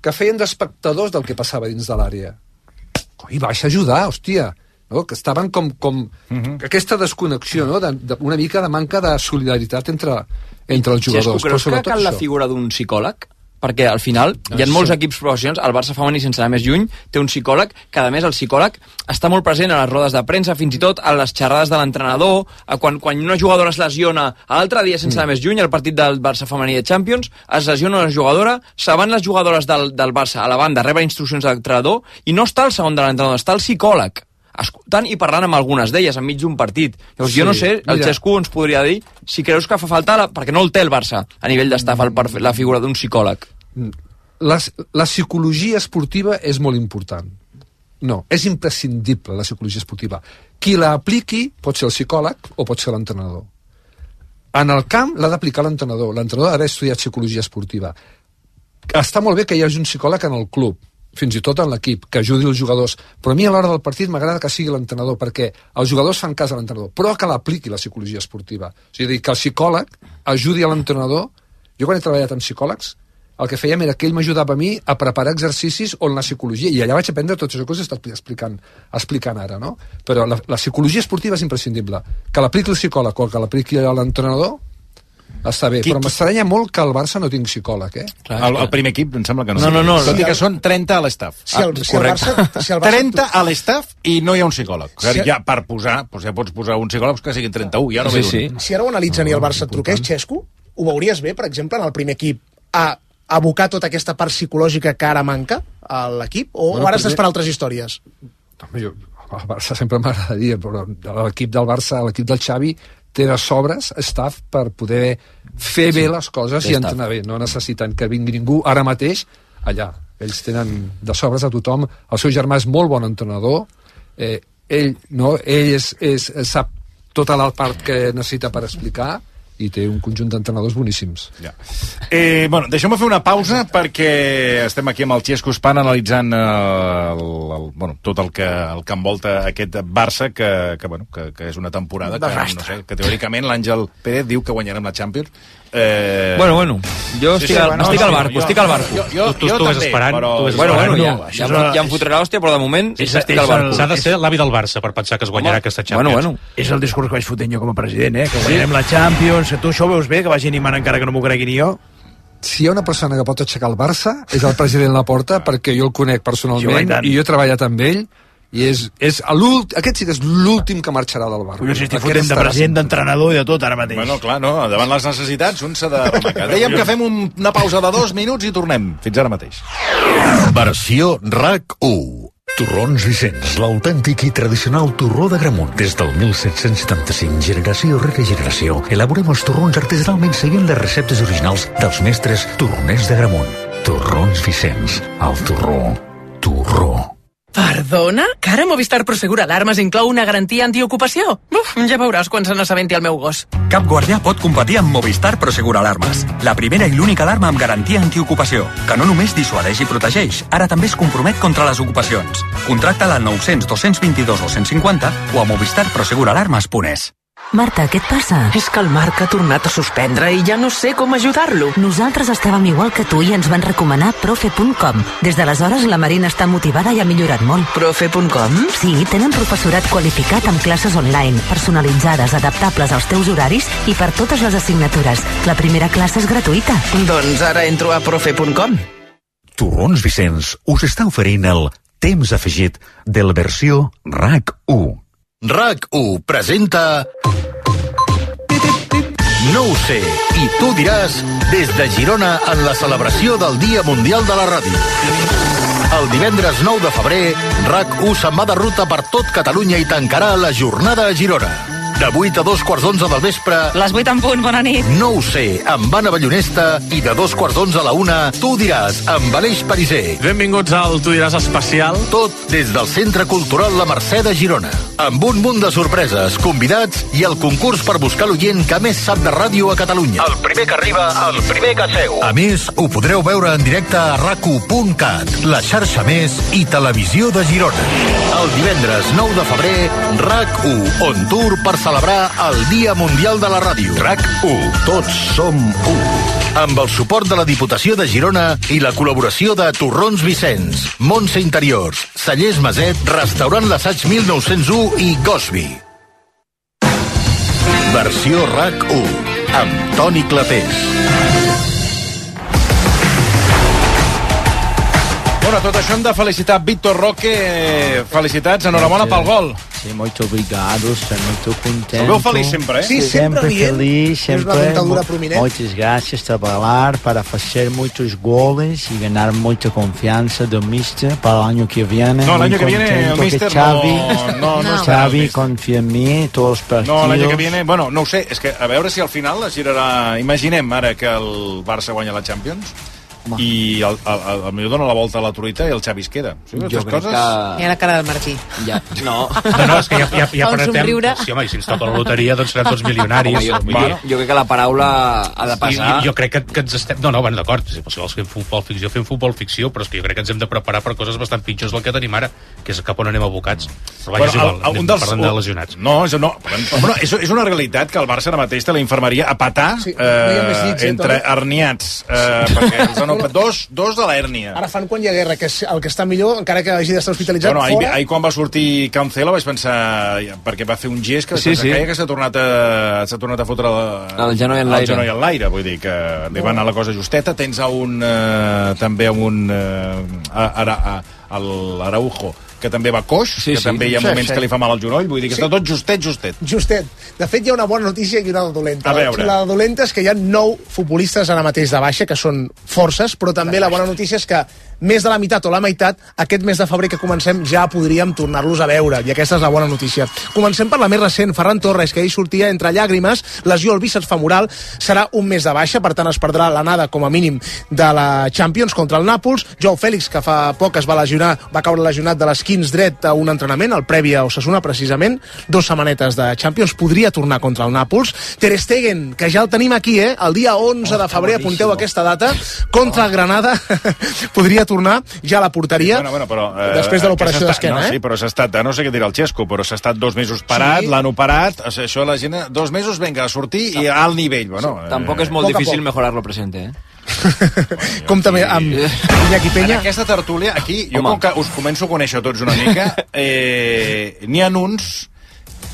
que feien d'espectadors del que passava dins de l'àrea. Coi, baixa a ajudar, hòstia. No? Que estaven com aquesta desconnexió, no? Una mica de manca de solidaritat entre els jugadors. Xesco, creus que cal la figura d'un psicòleg perquè al final hi ha molts equips professionals, el Barça femení, sense anar més lluny, té un psicòleg, que a més el psicòleg està molt present a les rodes de premsa, fins i tot a les xerrades de l'entrenador, quan una jugadora es lesiona, l'altre dia, sense anar més lluny, al partit del Barça femení de Champions, es lesiona una jugadora, se van les jugadores del Barça a la banda a rebre instruccions de l'entrenador, i no està el segon de l'entrenador, està el psicòleg, escoltant i parlant amb algunes d'elles enmig d'un partit. Llavors, jo no sé, el Xesco ens podria dir si creus que fa falta, perquè no el té el Barça a nivell d'estaf, la figura d'un psicòleg. La psicologia esportiva és molt important. No, és imprescindible la psicologia esportiva. Qui la apliqui pot ser el psicòleg o pot ser l'entrenador. En el camp l'ha d'aplicar l'entrenador. L'entrenador ha d'haver estudiat psicologia esportiva. Està molt bé que hi hagi un psicòleg en el club, fins i tot en l'equip, que ajudi els jugadors, però a mi a l'hora del partit m'agrada que sigui l'entrenador, perquè els jugadors fan cas a l'entrenador, però que l'apliqui la psicologia esportiva. O sigui, que el psicòleg ajudi a l'entrenador. Jo quan he treballat amb psicòlegs, el que fèiem era que ell m'ajudava a mi a preparar exercicis on la psicologia, i allà vaig aprendre tot això que us he estat explicant ara, no? Però la psicologia esportiva és imprescindible. Que l'apliqui el psicòleg o que l'apliqui l'entrenador, està bé, però m'estranya molt que el Barça no tingui psicòleg, eh? El primer equip em sembla que no. No. Tot i que són 30 a l'estaf. Si el Barça 30 a l'estaf i no hi ha un psicòleg. Ja per posar, ja pots posar un psicòleg que siguin 31, ja no ve d'un. Si ara ho analitzen i el Barça et truqués, Xesco, ho veuries bé, per exemple, en el primer equip, a abocar tota aquesta part psicològica que ara manca a l'equip, o ara estàs per altres històries? El Barça sempre m'agradaria, però l'equip del Barça, l'equip del Xavi, té de sobres staff per poder fer bé les coses i entrenar bé. No necessiten que vingui ningú ara mateix allà. Ells tenen de sobres a tothom. El seu germà és molt bon entrenador. Ell sap tota la part que necessita per explicar i té un conjunt d'entrenadors boníssims. Bueno, deixeu-me fer una pausa perquè estem aquí amb el Xesco Span analitzant tot el que envolta aquest Barça que és una temporada que, no sé, que teòricament l'Àngel Pérez diu que guanyarem la Champions. Bueno, jo estic al barco, Tu estigues esperant. Ja em fotré l'hòstia, però de moment estic al barco. S'ha de ser l'avi del Barça per pensar que es guanyarà aquesta Champions. És el discurs que vaig fotent jo com a president, que guanyarem la Champions. Tu això ho veus bé, que vagi animant encara que no m'ho cregui ni jo? Si hi ha una persona que pot aixecar el Barça és el president Laporta, perquè jo el conec personalment i jo he treballat amb ell, i aquest sí que és l'últim que marxarà del Barça. Jo estic fotent de president, d'entrenador i de tot ara mateix. Bueno, clar, no, davant les necessitats un s'ha de remacar. Dèiem que fem una pausa de 2 minuts i tornem. Fins ara mateix. Versió RAC1. Torrons Vicenç, l'autèntic i tradicional torró d'Agramunt. Des del 1775, generació rere generació, elaborem els torrons artesanalment seguint les receptes originals dels mestres torroners d'Agramunt. Torrons Vicenç, el torró. Perdona? Que ara Movistar Prosegur Alarmes inclou una garantia antiocupació? Ja veuràs quan se n'assabenti el meu gos. Cap guardià pot competir amb Movistar Prosegur Alarmes. La primera i l'única alarma amb garantia antiocupació, que no només dissuadeix i protegeix, ara també es compromet contra les ocupacions. Contracta-la al 900 222 o 150 o a movistarproseguralarmes.es. Marta, què et passa? És que el Marc ha tornat a suspendre i ja no sé com ajudar-lo. Nosaltres estàvem igual que tu i ens van recomanar profe.com. Des d'aleshores la Marina està motivada i ha millorat molt. Profe.com? Sí, tenen professorat qualificat amb classes online, personalitzades, adaptables als teus horaris i per totes les assignatures. La primera classe és gratuïta. Doncs ara entro a profe.com. Torrons Vicenç us està oferint el temps afegit de la versió RAC1. RAC1 presenta No ho sé, i tu diràs, des de Girona en la celebració del Dia Mundial de la Ràdio. El divendres 9 de febrer, RAC1 se'n va de ruta per tot Catalunya i tancarà la jornada a Girona. De 8 a 2:15 del vespre... Les 8 en punt, bona nit. No ho sé, amb Anna Ballonesta, i de 2:15 a la 1, tu diràs, amb Aleix Pariser. Benvinguts al Tu diràs especial. Tot des del Centre Cultural La Mercè de Girona. Amb un munt de sorpreses, convidats i el concurs per buscar l'oient que més sap de ràdio a Catalunya. El primer que arriba, el primer que seu. A més, ho podreu veure en directe a rac1.cat, la xarxa més i televisió de Girona. El divendres 9 de febrer, RAC1 on tour per celebrar el Dia Mundial de la Ràdio. RAC1. Tots som u. Amb el suport de la Diputació de Girona i la col·laboració de Torrons Vicenç, Montse Interiors, Cellers Maset, Restaurant L'Assaig 1901 i Gosby. Versió RAC1 amb Toni Clapés. Bueno, tot això hem de felicitar Víctor Roque. Felicitats, enhorabona pel gol. Sí, muito obrigado, estou muito contente. El veu feliç sempre, Sí, sempre feliz, sempre. És una dentadura prominent. Muchas gracias, trabalhar para fazer muitos goles e ganhar muita confiança do Mister para o ano que viene. No, el año que viene el Mister Xavi confia en mi, tots els partidos. No, l'any que viene, bueno, no ho sé, és que a veure si al final es girarà... Imaginem ara que el Barça guanya la Champions i potser dona la volta a la truita i el Xavi es queda. Sí, jo crec coses... que... Mira la cara del Martí. Ja, no. No, és que ja Fa un apretem... somriure. Sí, home, i si ens toca la loteria, doncs serem tots milionaris. Home, jo crec que la paraula ha de passar. Jo crec que ens estem... No, bueno, d'acord, si vols fem futbol ficció, però és que jo crec que ens hem de preparar per coses bastant pitjors del que tenim ara, que és cap on anem abocats. Però vaja, és igual, parlem de lesionats. No, bueno, és una realitat que el Barça ara mateix té la infermeria a patar entre herniats, perquè els han operat dos de l'hèrnia. Ara fan quan hi ha guerra, que és el que està millor, encara que hagi d'estar hospitalitzat fora. Ahir quan va sortir Cancelo vaig pensar, perquè va fer un gest que que s'ha tornat a fotre el genoll en l'aire, vull dir que li va anar la cosa justeta. Tens també un l'Araujo, que també va coix, també hi ha moments que li fa mal al genoll, vull dir que està tot justet. De fet, hi ha una bona notícia i una dolenta. A veure. La dolenta és que hi ha 9 futbolistes ara mateix de baixa, que són forces, però també la bona notícia és que més de la meitat o la meitat, aquest mes de febrer que comencem ja podríem tornar-los a veure, i aquesta és la bona notícia. Comencem per la més recent, Ferran Torres, que ahir sortia entre llàgrimes, lesió al bíceps femoral, serà un mes de baixa, per tant es perdrà l'anada com a mínim de la Champions contra el Nàpols. Joao Fèlix, que fa poc es va caure lesionat de l'esquins dret a un entrenament, el previ a Osasuna precisament, 2 setmanetes de Champions, podria tornar contra el Nàpols. Ter Stegen, que ja el tenim aquí, el dia 11 de febrer, apunteu aquesta data, contra el Granada, podria tornar ja a la porteria, però, després de l'operació d'esquena. Sí, però s'ha estat, no sé què dirà el Xesco, però s'ha estat 2 mesos parat, l'han operat, això la gent, 2 mesos, venga, a sortir i a alt nivell. Bueno, tampoc és molt difícil mejorar lo presente, Com també amb Iñaki Peña. En aquesta tertúlia, aquí, jo com que us començo a conèixer tots una mica, n'hi ha uns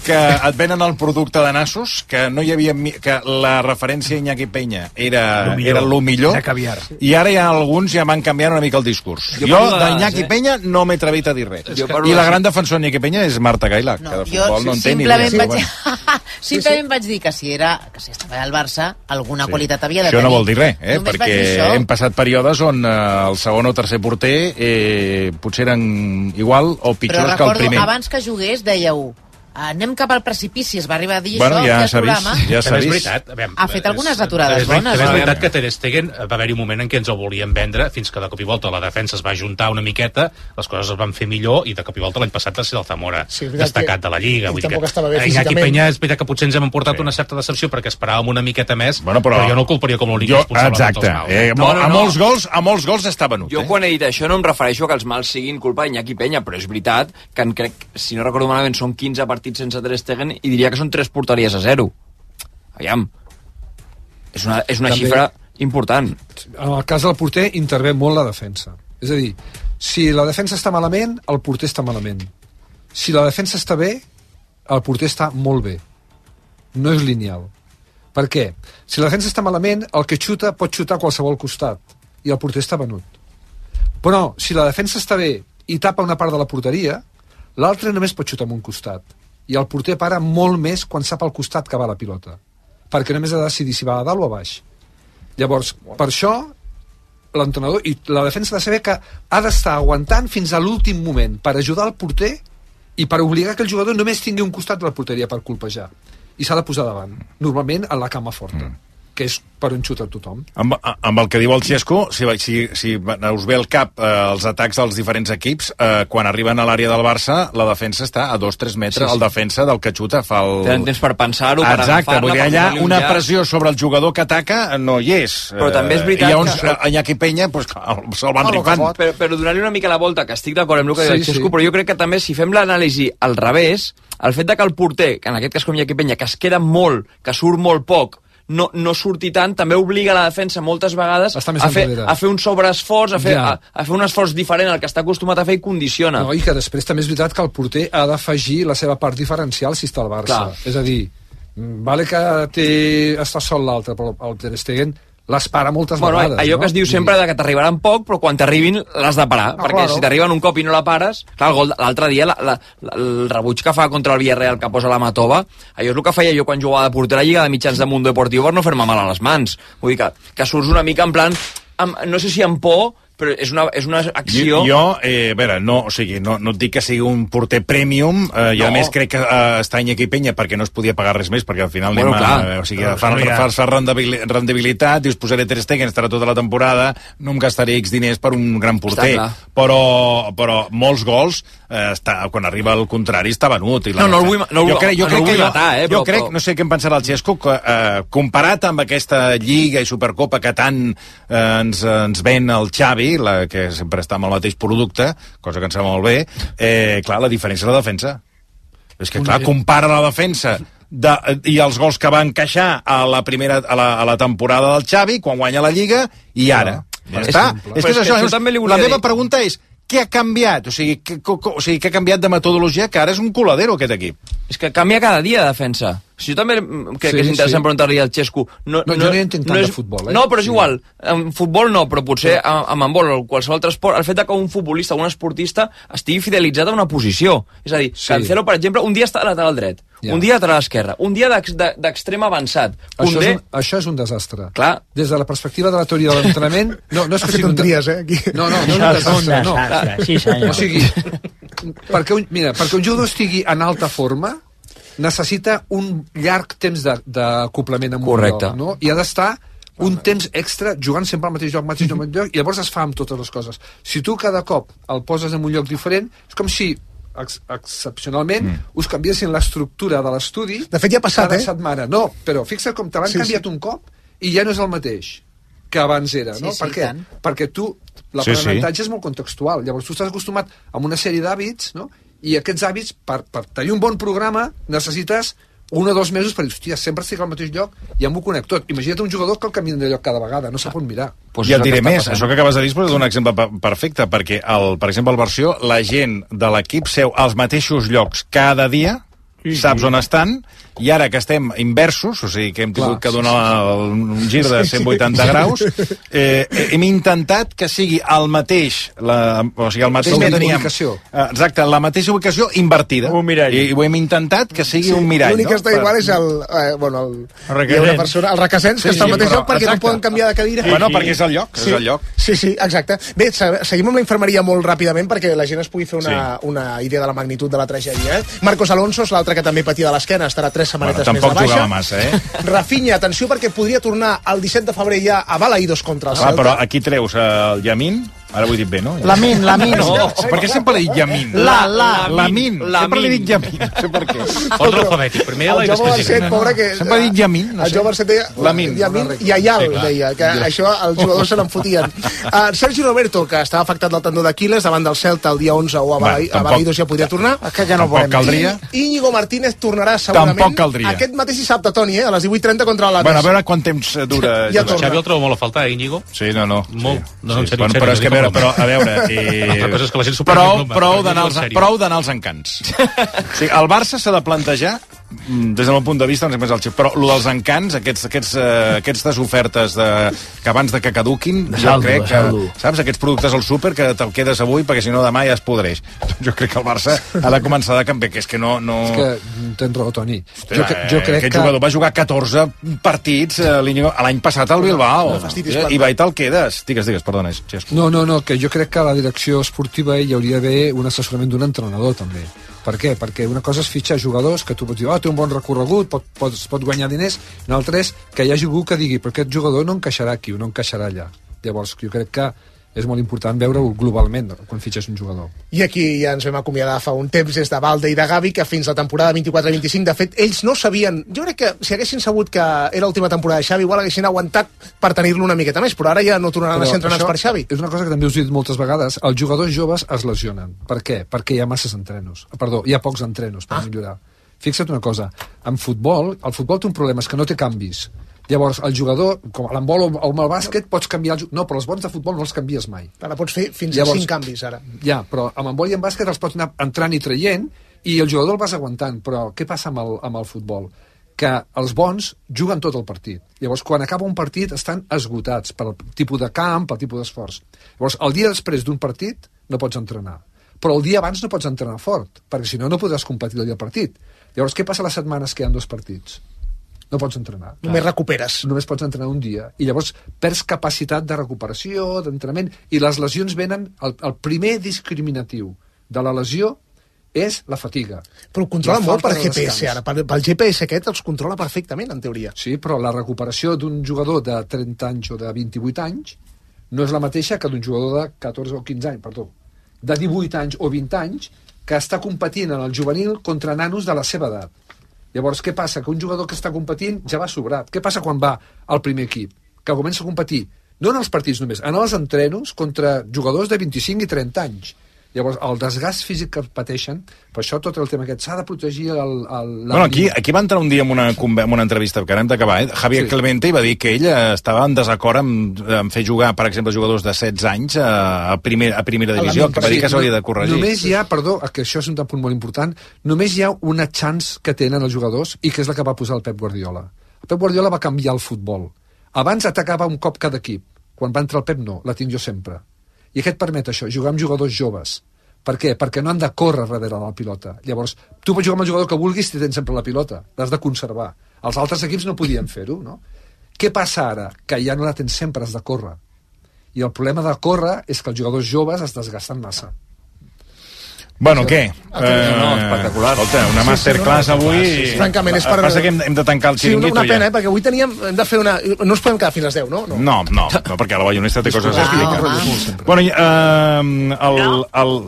que et venen el producte de nassos, que no hi havia... que la referència a Iñaki Peña era lo millor, era caviar. I ara hi ha alguns ja m'han canviat una mica el discurs. Jo d'Iñaki Peña no m'he atrevit a dir res. I la gran defensor d'Iñaki Peña és Marta Gaila, que de futbol no en té ni idea. Simplement vaig dir que si estava al Barça, alguna qualitat havia de tenir. Això no vol dir res, perquè hem passat períodes on el segon o tercer porter potser eren igual o pitjors que el primer. Però recordo, abans que jugués, dèieu anem cap al precipici, es va arribar a dir això ja al programa. Ja s'ha vist. Ha fet algunes aturades bones. És veritat que Ter Stegen va haver-hi un moment en què ens el volien vendre, fins que de cop i volta la defensa es va juntar una miqueta, les coses es van fer millor, i de cop i volta l'any passat va ser el Zamora destacat de la Lliga. Iñaki Peña és veritat que potser ens hem emportat una certa decepció perquè esperàvem una miqueta més, però jo no el culparia com l'únic responsable de tots els mals. A molts gols està venut. Jo quan he dit això no em refereixo que els mals siguin culpa d'Iñaki Peña, però és veritat que crec, si no recordo malament, són 15 partits sense Ter Stegen i diria que són 3 porteries a 0. Aviam, és una xifra important. En el cas del porter intervé molt la defensa. És a dir, si la defensa està malament, el porter està malament. Si la defensa està bé, el porter està molt bé. No és lineal. Per què? Si la defensa està malament, el que xuta pot xutar a qualsevol costat i el porter està venut. Però si la defensa està bé i tapa una part de la porteria, l'altre només pot xutar en un costat. I el porter para molt més quan sap al costat que va la pilota, perquè només ha de decidir si va a dalt o a baix. Llavors, per això l'entrenador i la defensa ha de saber que ha d'estar aguantant fins a l'últim moment per ajudar el porter i per obligar que el jugador només tingui un costat de la porteria per colpejar, i s'ha de posar davant, normalment a la cama forta, que és per on xuta tothom. Amb el que diu el Xesco, si us ve al cap els atacs dels diferents equips, quan arriben a l'àrea del Barça, la defensa està a 2-3 metres, el defensa del que xuta fa el... Tenen temps per pensar-ho, per agafar-la... Exacte, vull dir, allà una pressió sobre el jugador que ataca no hi és. Però també és veritat que... Iñaki Peña se'l van rifant. Però donar-li una mica la volta, que estic d'acord amb el que diu el Xesco, però jo crec que també, si fem l'anàlisi al revés, el fet que el porter, que en aquest cas com Iñaki Peña, que es queda molt, que surt molt poc, no surti tant, també obliga la defensa moltes vegades a fer un sobreesforç, a fer un esforç diferent al que està acostumat a fer i condiciona. No, i que després també és veritat que el porter ha d'afegir la seva part diferencial si està al Barça. És a dir, vale que està sol l'altre, però el Ter Stegen les para moltes vegades. Allò que es diu sempre que t'arribaran poc, però quan t'arribin l'has de parar, perquè si t'arriben un cop i no la pares... Clar, l'altre dia, el rebuig que fa contra el Villarreal, que posa la Matova, allò és el que feia jo quan jugava de porter a Lliga de Mitjans de Mundo Deportivo per no fer-me mal a les mans. Vull dir que surts una mica en plan, no sé si amb por, però és una acció... Jo, a veure, no et dic que sigui un porter premium, i a més crec que està Iñaki Peña perquè no es podia pagar res més, perquè al final fa rendibilitat, dius, posaré Ter Stegen, estarà tota la temporada, no em gastaré X diners per un gran porter, però molts gols, quan arriba el contrari, està venut. No el vull matar, jo crec, no sé què en pensarà el Xesco, comparat amb aquesta Lliga i Supercopa que tant ens ven el Xavi, la que sempre està amb el mateix producte, cosa que em sembla molt bé, clar, la diferència és la defensa. És que, clar, compara la defensa i els gols que va encaixar a la temporada del Xavi, quan guanya la Lliga, i ara. Ja està. És que és això. La meva pregunta és, què ha canviat? O sigui, què ha canviat de metodologia, que ara és un coladero, aquest equip? És que canvia cada dia de defensa. Si jo també crec que és interessant preguntar-li al Xesco. Jo no hi entenc tant de futbol, No, però és igual. En futbol no, però potser amb handbol o qualsevol altre esport, el fet que un futbolista o un esportista estigui fidelitzat a una posició. És a dir, Cancelo, per exemple, un dia està a lateral dret, un dia a lateral esquerre, un dia d'extrem avançat. Això és un desastre. Clar. Des de la perspectiva de la teoria de l'entrenament... No és que sigui un tries, aquí. No és un desastre, no. Sí, senyor. O sigui, perquè un jugador estigui en alta forma, necessita un llarg temps d'acoplament amb un lloc, no? I ha d'estar un temps extra jugant sempre al mateix lloc, i llavors es fa amb totes les coses. Si tu cada cop el poses en un lloc diferent, és com si excepcionalment us canviessin l'estructura de l'estudi de fet ja ha passat, cada setmana. No, però fixa't com te l'han canviat un cop i ja no és el mateix que abans era, no? Per què? Perquè tu, l'aprenentatge és molt contextual, llavors tu estàs acostumat a una sèrie d'hàbits, no? I aquests hàbits, per tenir un bon programa, necessites 1 o 2 mesos per dir, hòstia, sempre estic al mateix lloc i em ho conec tot. Imagina't un jugador que el canvia de lloc cada vegada, no sap on mirar. I et diré més, això que acabes de dir és un exemple perfecte, perquè, per exemple, al Versió, la gent de l'equip seu als mateixos llocs cada dia, saps on estan, i ara que estem inversos, o sigui que hem tingut que donar un gir de 180 graus, hem intentat que sigui el mateix, o sigui, el mateix que teníem... Exacte, la mateixa ubicació invertida. Un mirall. I ho hem intentat que sigui un mirall. L'únic que està igual és el requesens, que està al mateix lloc perquè no poden canviar de cadira. Bueno, perquè és el lloc. Sí, exacte. Bé, seguim amb la infermeria molt ràpidament perquè la gent es pugui fer una idea de la magnitud de la tragèdia. Marcos Alonso és l'altre que també patia de l'esquena, estarà 3 setmanetes més de baixa. Tampoc jugava massa, Rafinha, atenció, perquè podria tornar el 17 de febrer ja a Balaïdos contra el Celta. Però aquí treus el Yamin, ara ho he dit bé, no? Lamin. No, perquè sempre l'he dit Yamin. Lamin. Sempre l'he dit Yamin, no sé per què. Ordre alfabètic, primer L i després G. Sempre he dit Yamin. El Joe Barcet deia Yamin i Ayal, deia, que això els jugadors se n'enfotien. Sergi Roberto, que estava afectat del tendó d'Aquiles davant del Celta el dia 11 o a Balaïdos ja podria tornar. Tampoc caldria. Íñigo Martínez tornarà segurament. Tampoc caldria. Aquest mateix dissabte, Toni, a les 18:30 contra l'Atlètic. Bueno, a veure quant temps dura. Xavi el trobo molt a faltar, Íñigo? Sí, no. Molt. No, en sèrio. Però és que, a veure... Prou d'anar als encants. El Barça s'ha de plantejar, des del meu punt de vista, no sé més el xip, però el dels encants, aquestes ofertes que abans de que caduquin, jo crec que, saps, aquests productes al súper que te'l quedes avui perquè si no demà ja es podreix. Jo crec que el Barça ha de començar a canviar, que és que no... És que tens raó, Toni. Jo crec que aquest jugador va jugar 14 partits l'any passat al Bilbao, i va i te'l quedes. Digues, perdona. No, que jo crec que a la direcció esportiva hi hauria d'haver un assessorament d'un entrenador, també. Per què? Perquè una cosa és fitxar jugadors que tu pots dir, té un bon recorregut, pot guanyar diners, una altra és que hi hagi algú que digui, però aquest jugador no encaixarà aquí o no encaixarà allà. Llavors, jo crec que és molt important veure-ho globalment quan fitxes un jugador. I aquí ja ens vam acomiadar fa un temps des de Valde i de Gavi, que fins la temporada 24-25, de fet, ells no sabien... Jo crec que si haguessin sabut que era l'última temporada de Xavi, igual haguessin aguantat per tenir-lo una miqueta més, però ara ja no tornaran a ser entrenats per Xavi. És una cosa que també us he dit moltes vegades, els jugadors joves es lesionen. Per què? Perquè hi ha masses entrenos. Perdó, hi ha pocs entrenos per millorar. Fixa't una cosa, en futbol, el futbol té un problema, és que no té canvis. Llavors, el jugador, com a l'handbol o amb el bàsquet, pots canviar... No, però els bons de futbol no els canvies mai. Ara pots fer fins a 5 canvis, ara. Ja, però amb handbol i amb bàsquet els pots anar entrant i traient i el jugador el vas aguantant. Però què passa amb el futbol? que els bons juguen tot el partit. Llavors, quan acaba un partit, estan esgotats pel tipus de camp, pel tipus d'esforç. Llavors, el dia després d'un partit no pots entrenar. Però el dia abans no pots entrenar fort, perquè si no, no podràs competir el dia del partit. Llavors, què passa les setmanes que hi ha 2 partits? No pots entrenar. Només recuperes. Només pots entrenar un dia. I llavors perds capacitat de recuperació, d'entrenament, i les lesions venen... El primer discriminatiu de la lesió és la fatiga. Però ho controla molt per GPS, ara. Pel GPS aquest els controla perfectament, en teoria. Sí, però la recuperació d'un jugador de 30 anys o de 28 anys no és la mateixa que d'un jugador de 14 o 15 anys, perdó, de 18 anys o 20 anys que està competint en el juvenil contra nanos de la seva edat. Llavors, què passa? Que un jugador que està competint ja va sobrat. Què passa quan va al primer equip? Que comença a competir, no en els partits només, en els entrenos contra jugadors de 25 i 30 anys. Llavors, el desgast físic que pateixen, per això tot el tema aquest, s'ha de protegir Bueno, aquí va entrar un dia en una entrevista, que hem d'acabar, Javier Clemente, i va dir que ell estava en desacord amb fer jugar, per exemple, jugadors de 16 anys a primera divisió, que va dir que s'hauria de corregir. Només hi ha, perdó, que això és un punt molt important, només hi ha una chance que tenen els jugadors, i que és la que va posar el Pep Guardiola. El Pep Guardiola va canviar el futbol. Abans atacava un cop cada equip. Quan va entrar el Pep, no, la tinc jo sempre. I aquest permet això, jugar amb jugadors joves. Per què? Perquè no han de córrer darrere de la pilota. Llavors, tu pots jugar amb el jugador que vulguis si tens sempre la pilota. L'has de conservar. Els altres equips no podien fer-ho, no? Què passa ara? Que ja no la tens sempre, has de córrer. I el problema de córrer és que els jugadors joves es desgasten massa. Bueno, què? No, espectacular. Escolta, una masterclass avui... Francament, és per... Passa que hem de tancar el xiringuito ja. Sí, una pena, perquè avui hem de fer una... No ens podem quedar fins a les 10, no? No, perquè la Ballonesta té coses a explicar. Bueno,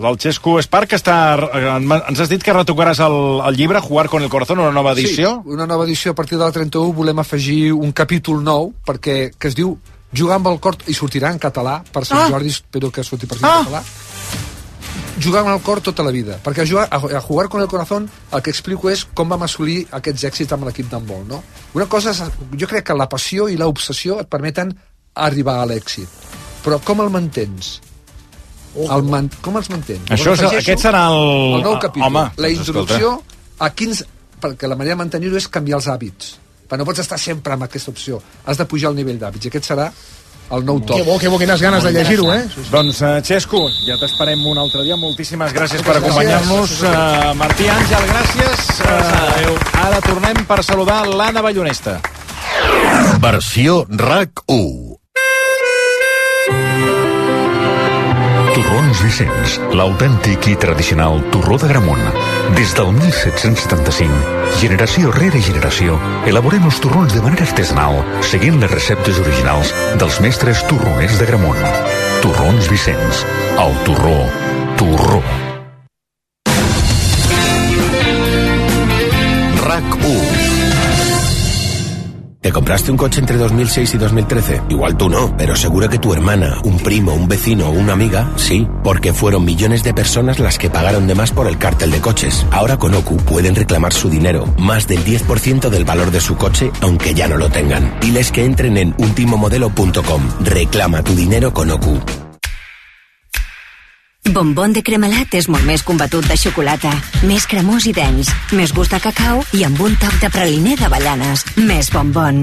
el Xesco Esparc ens has dit que retocaràs el llibre Jugar con el corazón, una nova edició? Sí, una nova edició a partir de la 31 volem afegir un capítol nou que es diu Jugar amb el cor, i sortirà en català per Sant Jordi, espero que surti per en català. Jugar amb el cor tota la vida, perquè a Jugar con el corazón el que explico és com vam assolir aquests èxits amb l'equip d'handbol, no? Una cosa és, jo crec que la passió i l'obsessió et permeten arribar a l'èxit, però com el mantens? Com els mantens? Aquest serà el nou capítol, la introducció a perquè la manera de mantenir-ho és canviar els hàbits, perquè no pots estar sempre amb aquesta opció, has de pujar el nivell d'hàbits, i aquest serà el nou top. Que bo, quines ganes de llegir-ho, eh? Doncs, Xesco, ja t'esperem un altre dia. Moltíssimes gràcies per acompanyar-nos. Martí Àngel, gràcies. Ara tornem per saludar l'Anna Ballonesta. Versió RAC1. Torrons Vicenç, l'autèntic i tradicional torró de Gramunt. Des del 1775, generació rere generació, elaborem els torrons de manera artesanal, seguint les receptes originals dels mestres torroners de Gramunt. Torrons Vicenç, el torró. RAC1. ¿Te compraste un coche entre 2006 y 2013? Igual tú no, pero seguro que tu hermana, un primo, un vecino o una amiga, sí, porque fueron millones de personas las que pagaron de más por el cártel de coches. Ahora con OCU pueden reclamar su dinero, más del 10% del valor de su coche, aunque ya no lo tengan. Diles que entren en ultimomodelo.com. Reclama tu dinero con OCU. Bombón de Cremelat és molt més combatut de xocolata, més cremós i dens, més gust de cacau i amb un toc de praliner d'avellanes. Més bombón.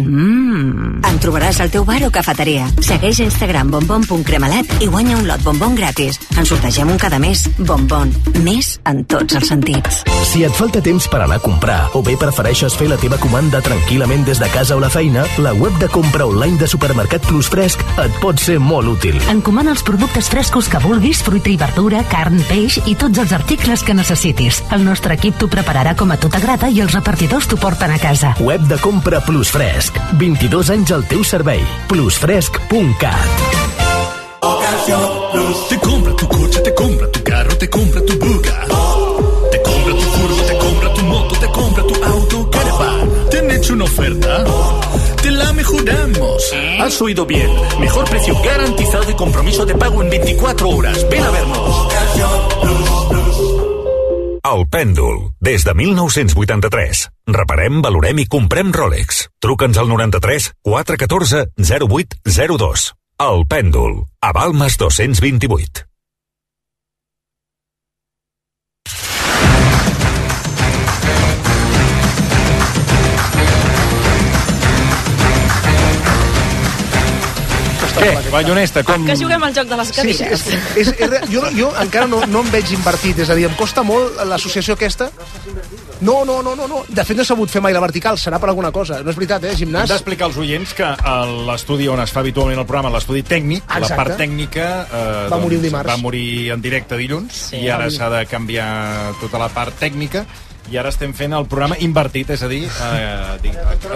En trobaràs al teu bar o cafeteria. Segueix a Instagram bombon.cremelat i guanya un lot bombón gratis. En sortegem un cada mes. Bombón. Més en tots els sentits. Si et falta temps per anar a comprar o bé prefereixes fer la teva comanda tranquil·lament des de casa o la feina, la web de compra online de Supermercat Plus Fresc et pot ser molt útil. Encomana els productes frescos que vulguis, fruita i verdura, carn, peix i tots els articles que necessitis. El nostre equip t'ho prepararà com a tu t'agrada i els repartidors t'ho porten a casa. Web de compra Plus Fresc. 22 anys al teu servei. Plusfresc.cat. Te compra tu coche, te compra tu carro, te compra tu buga. Te compra tu furgo, te compra tu moto, te compra tu auto, caravan. ¿Te han hecho una oferta? Te la mejoramos. Has oído bien. Mejor precio garantizado y compromiso de pago en 24 horas. Ven a vernos. El Pèndol, des de 1983. Reparem, valorem i comprem Rolex. Truca'ns al 93 414 0802. El Pèndol, a Balmes 228. Què? Ballonesta, com... Que juguem al joc de les cadires. Jo encara no em veig invertit, és a dir, em costa molt l'associació aquesta. No. De fet, no he sabut fer mai la vertical, serà per alguna cosa. No és veritat, gimnàs? Hem d'explicar als oients que l'estudi on es fa habitualment el programa, l'estudi tècnic, la part tècnica... Va morir dimarts. Va morir en directe dilluns, i ara s'ha de canviar tota la part tècnica, i ara estem fent el programa invertit, és a dir,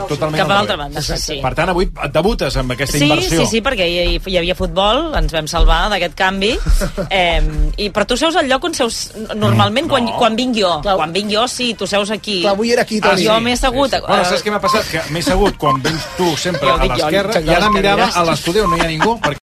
totalment... Cap a l'altra banda, sí. Per tant, avui et debutes amb aquesta inversió. Sí, perquè hi havia futbol, ens vam salvar d'aquest canvi, però tu seus al lloc on seus normalment quan vinc jo. Quan vinc jo, sí, tu seus aquí. Clar, avui era aquí. Jo m'he assegut... Bueno, saps què m'ha passat? Que m'he assegut quan vens tu sempre a l'esquerra, i ara mirava a l'estudi on no hi ha ningú, perquè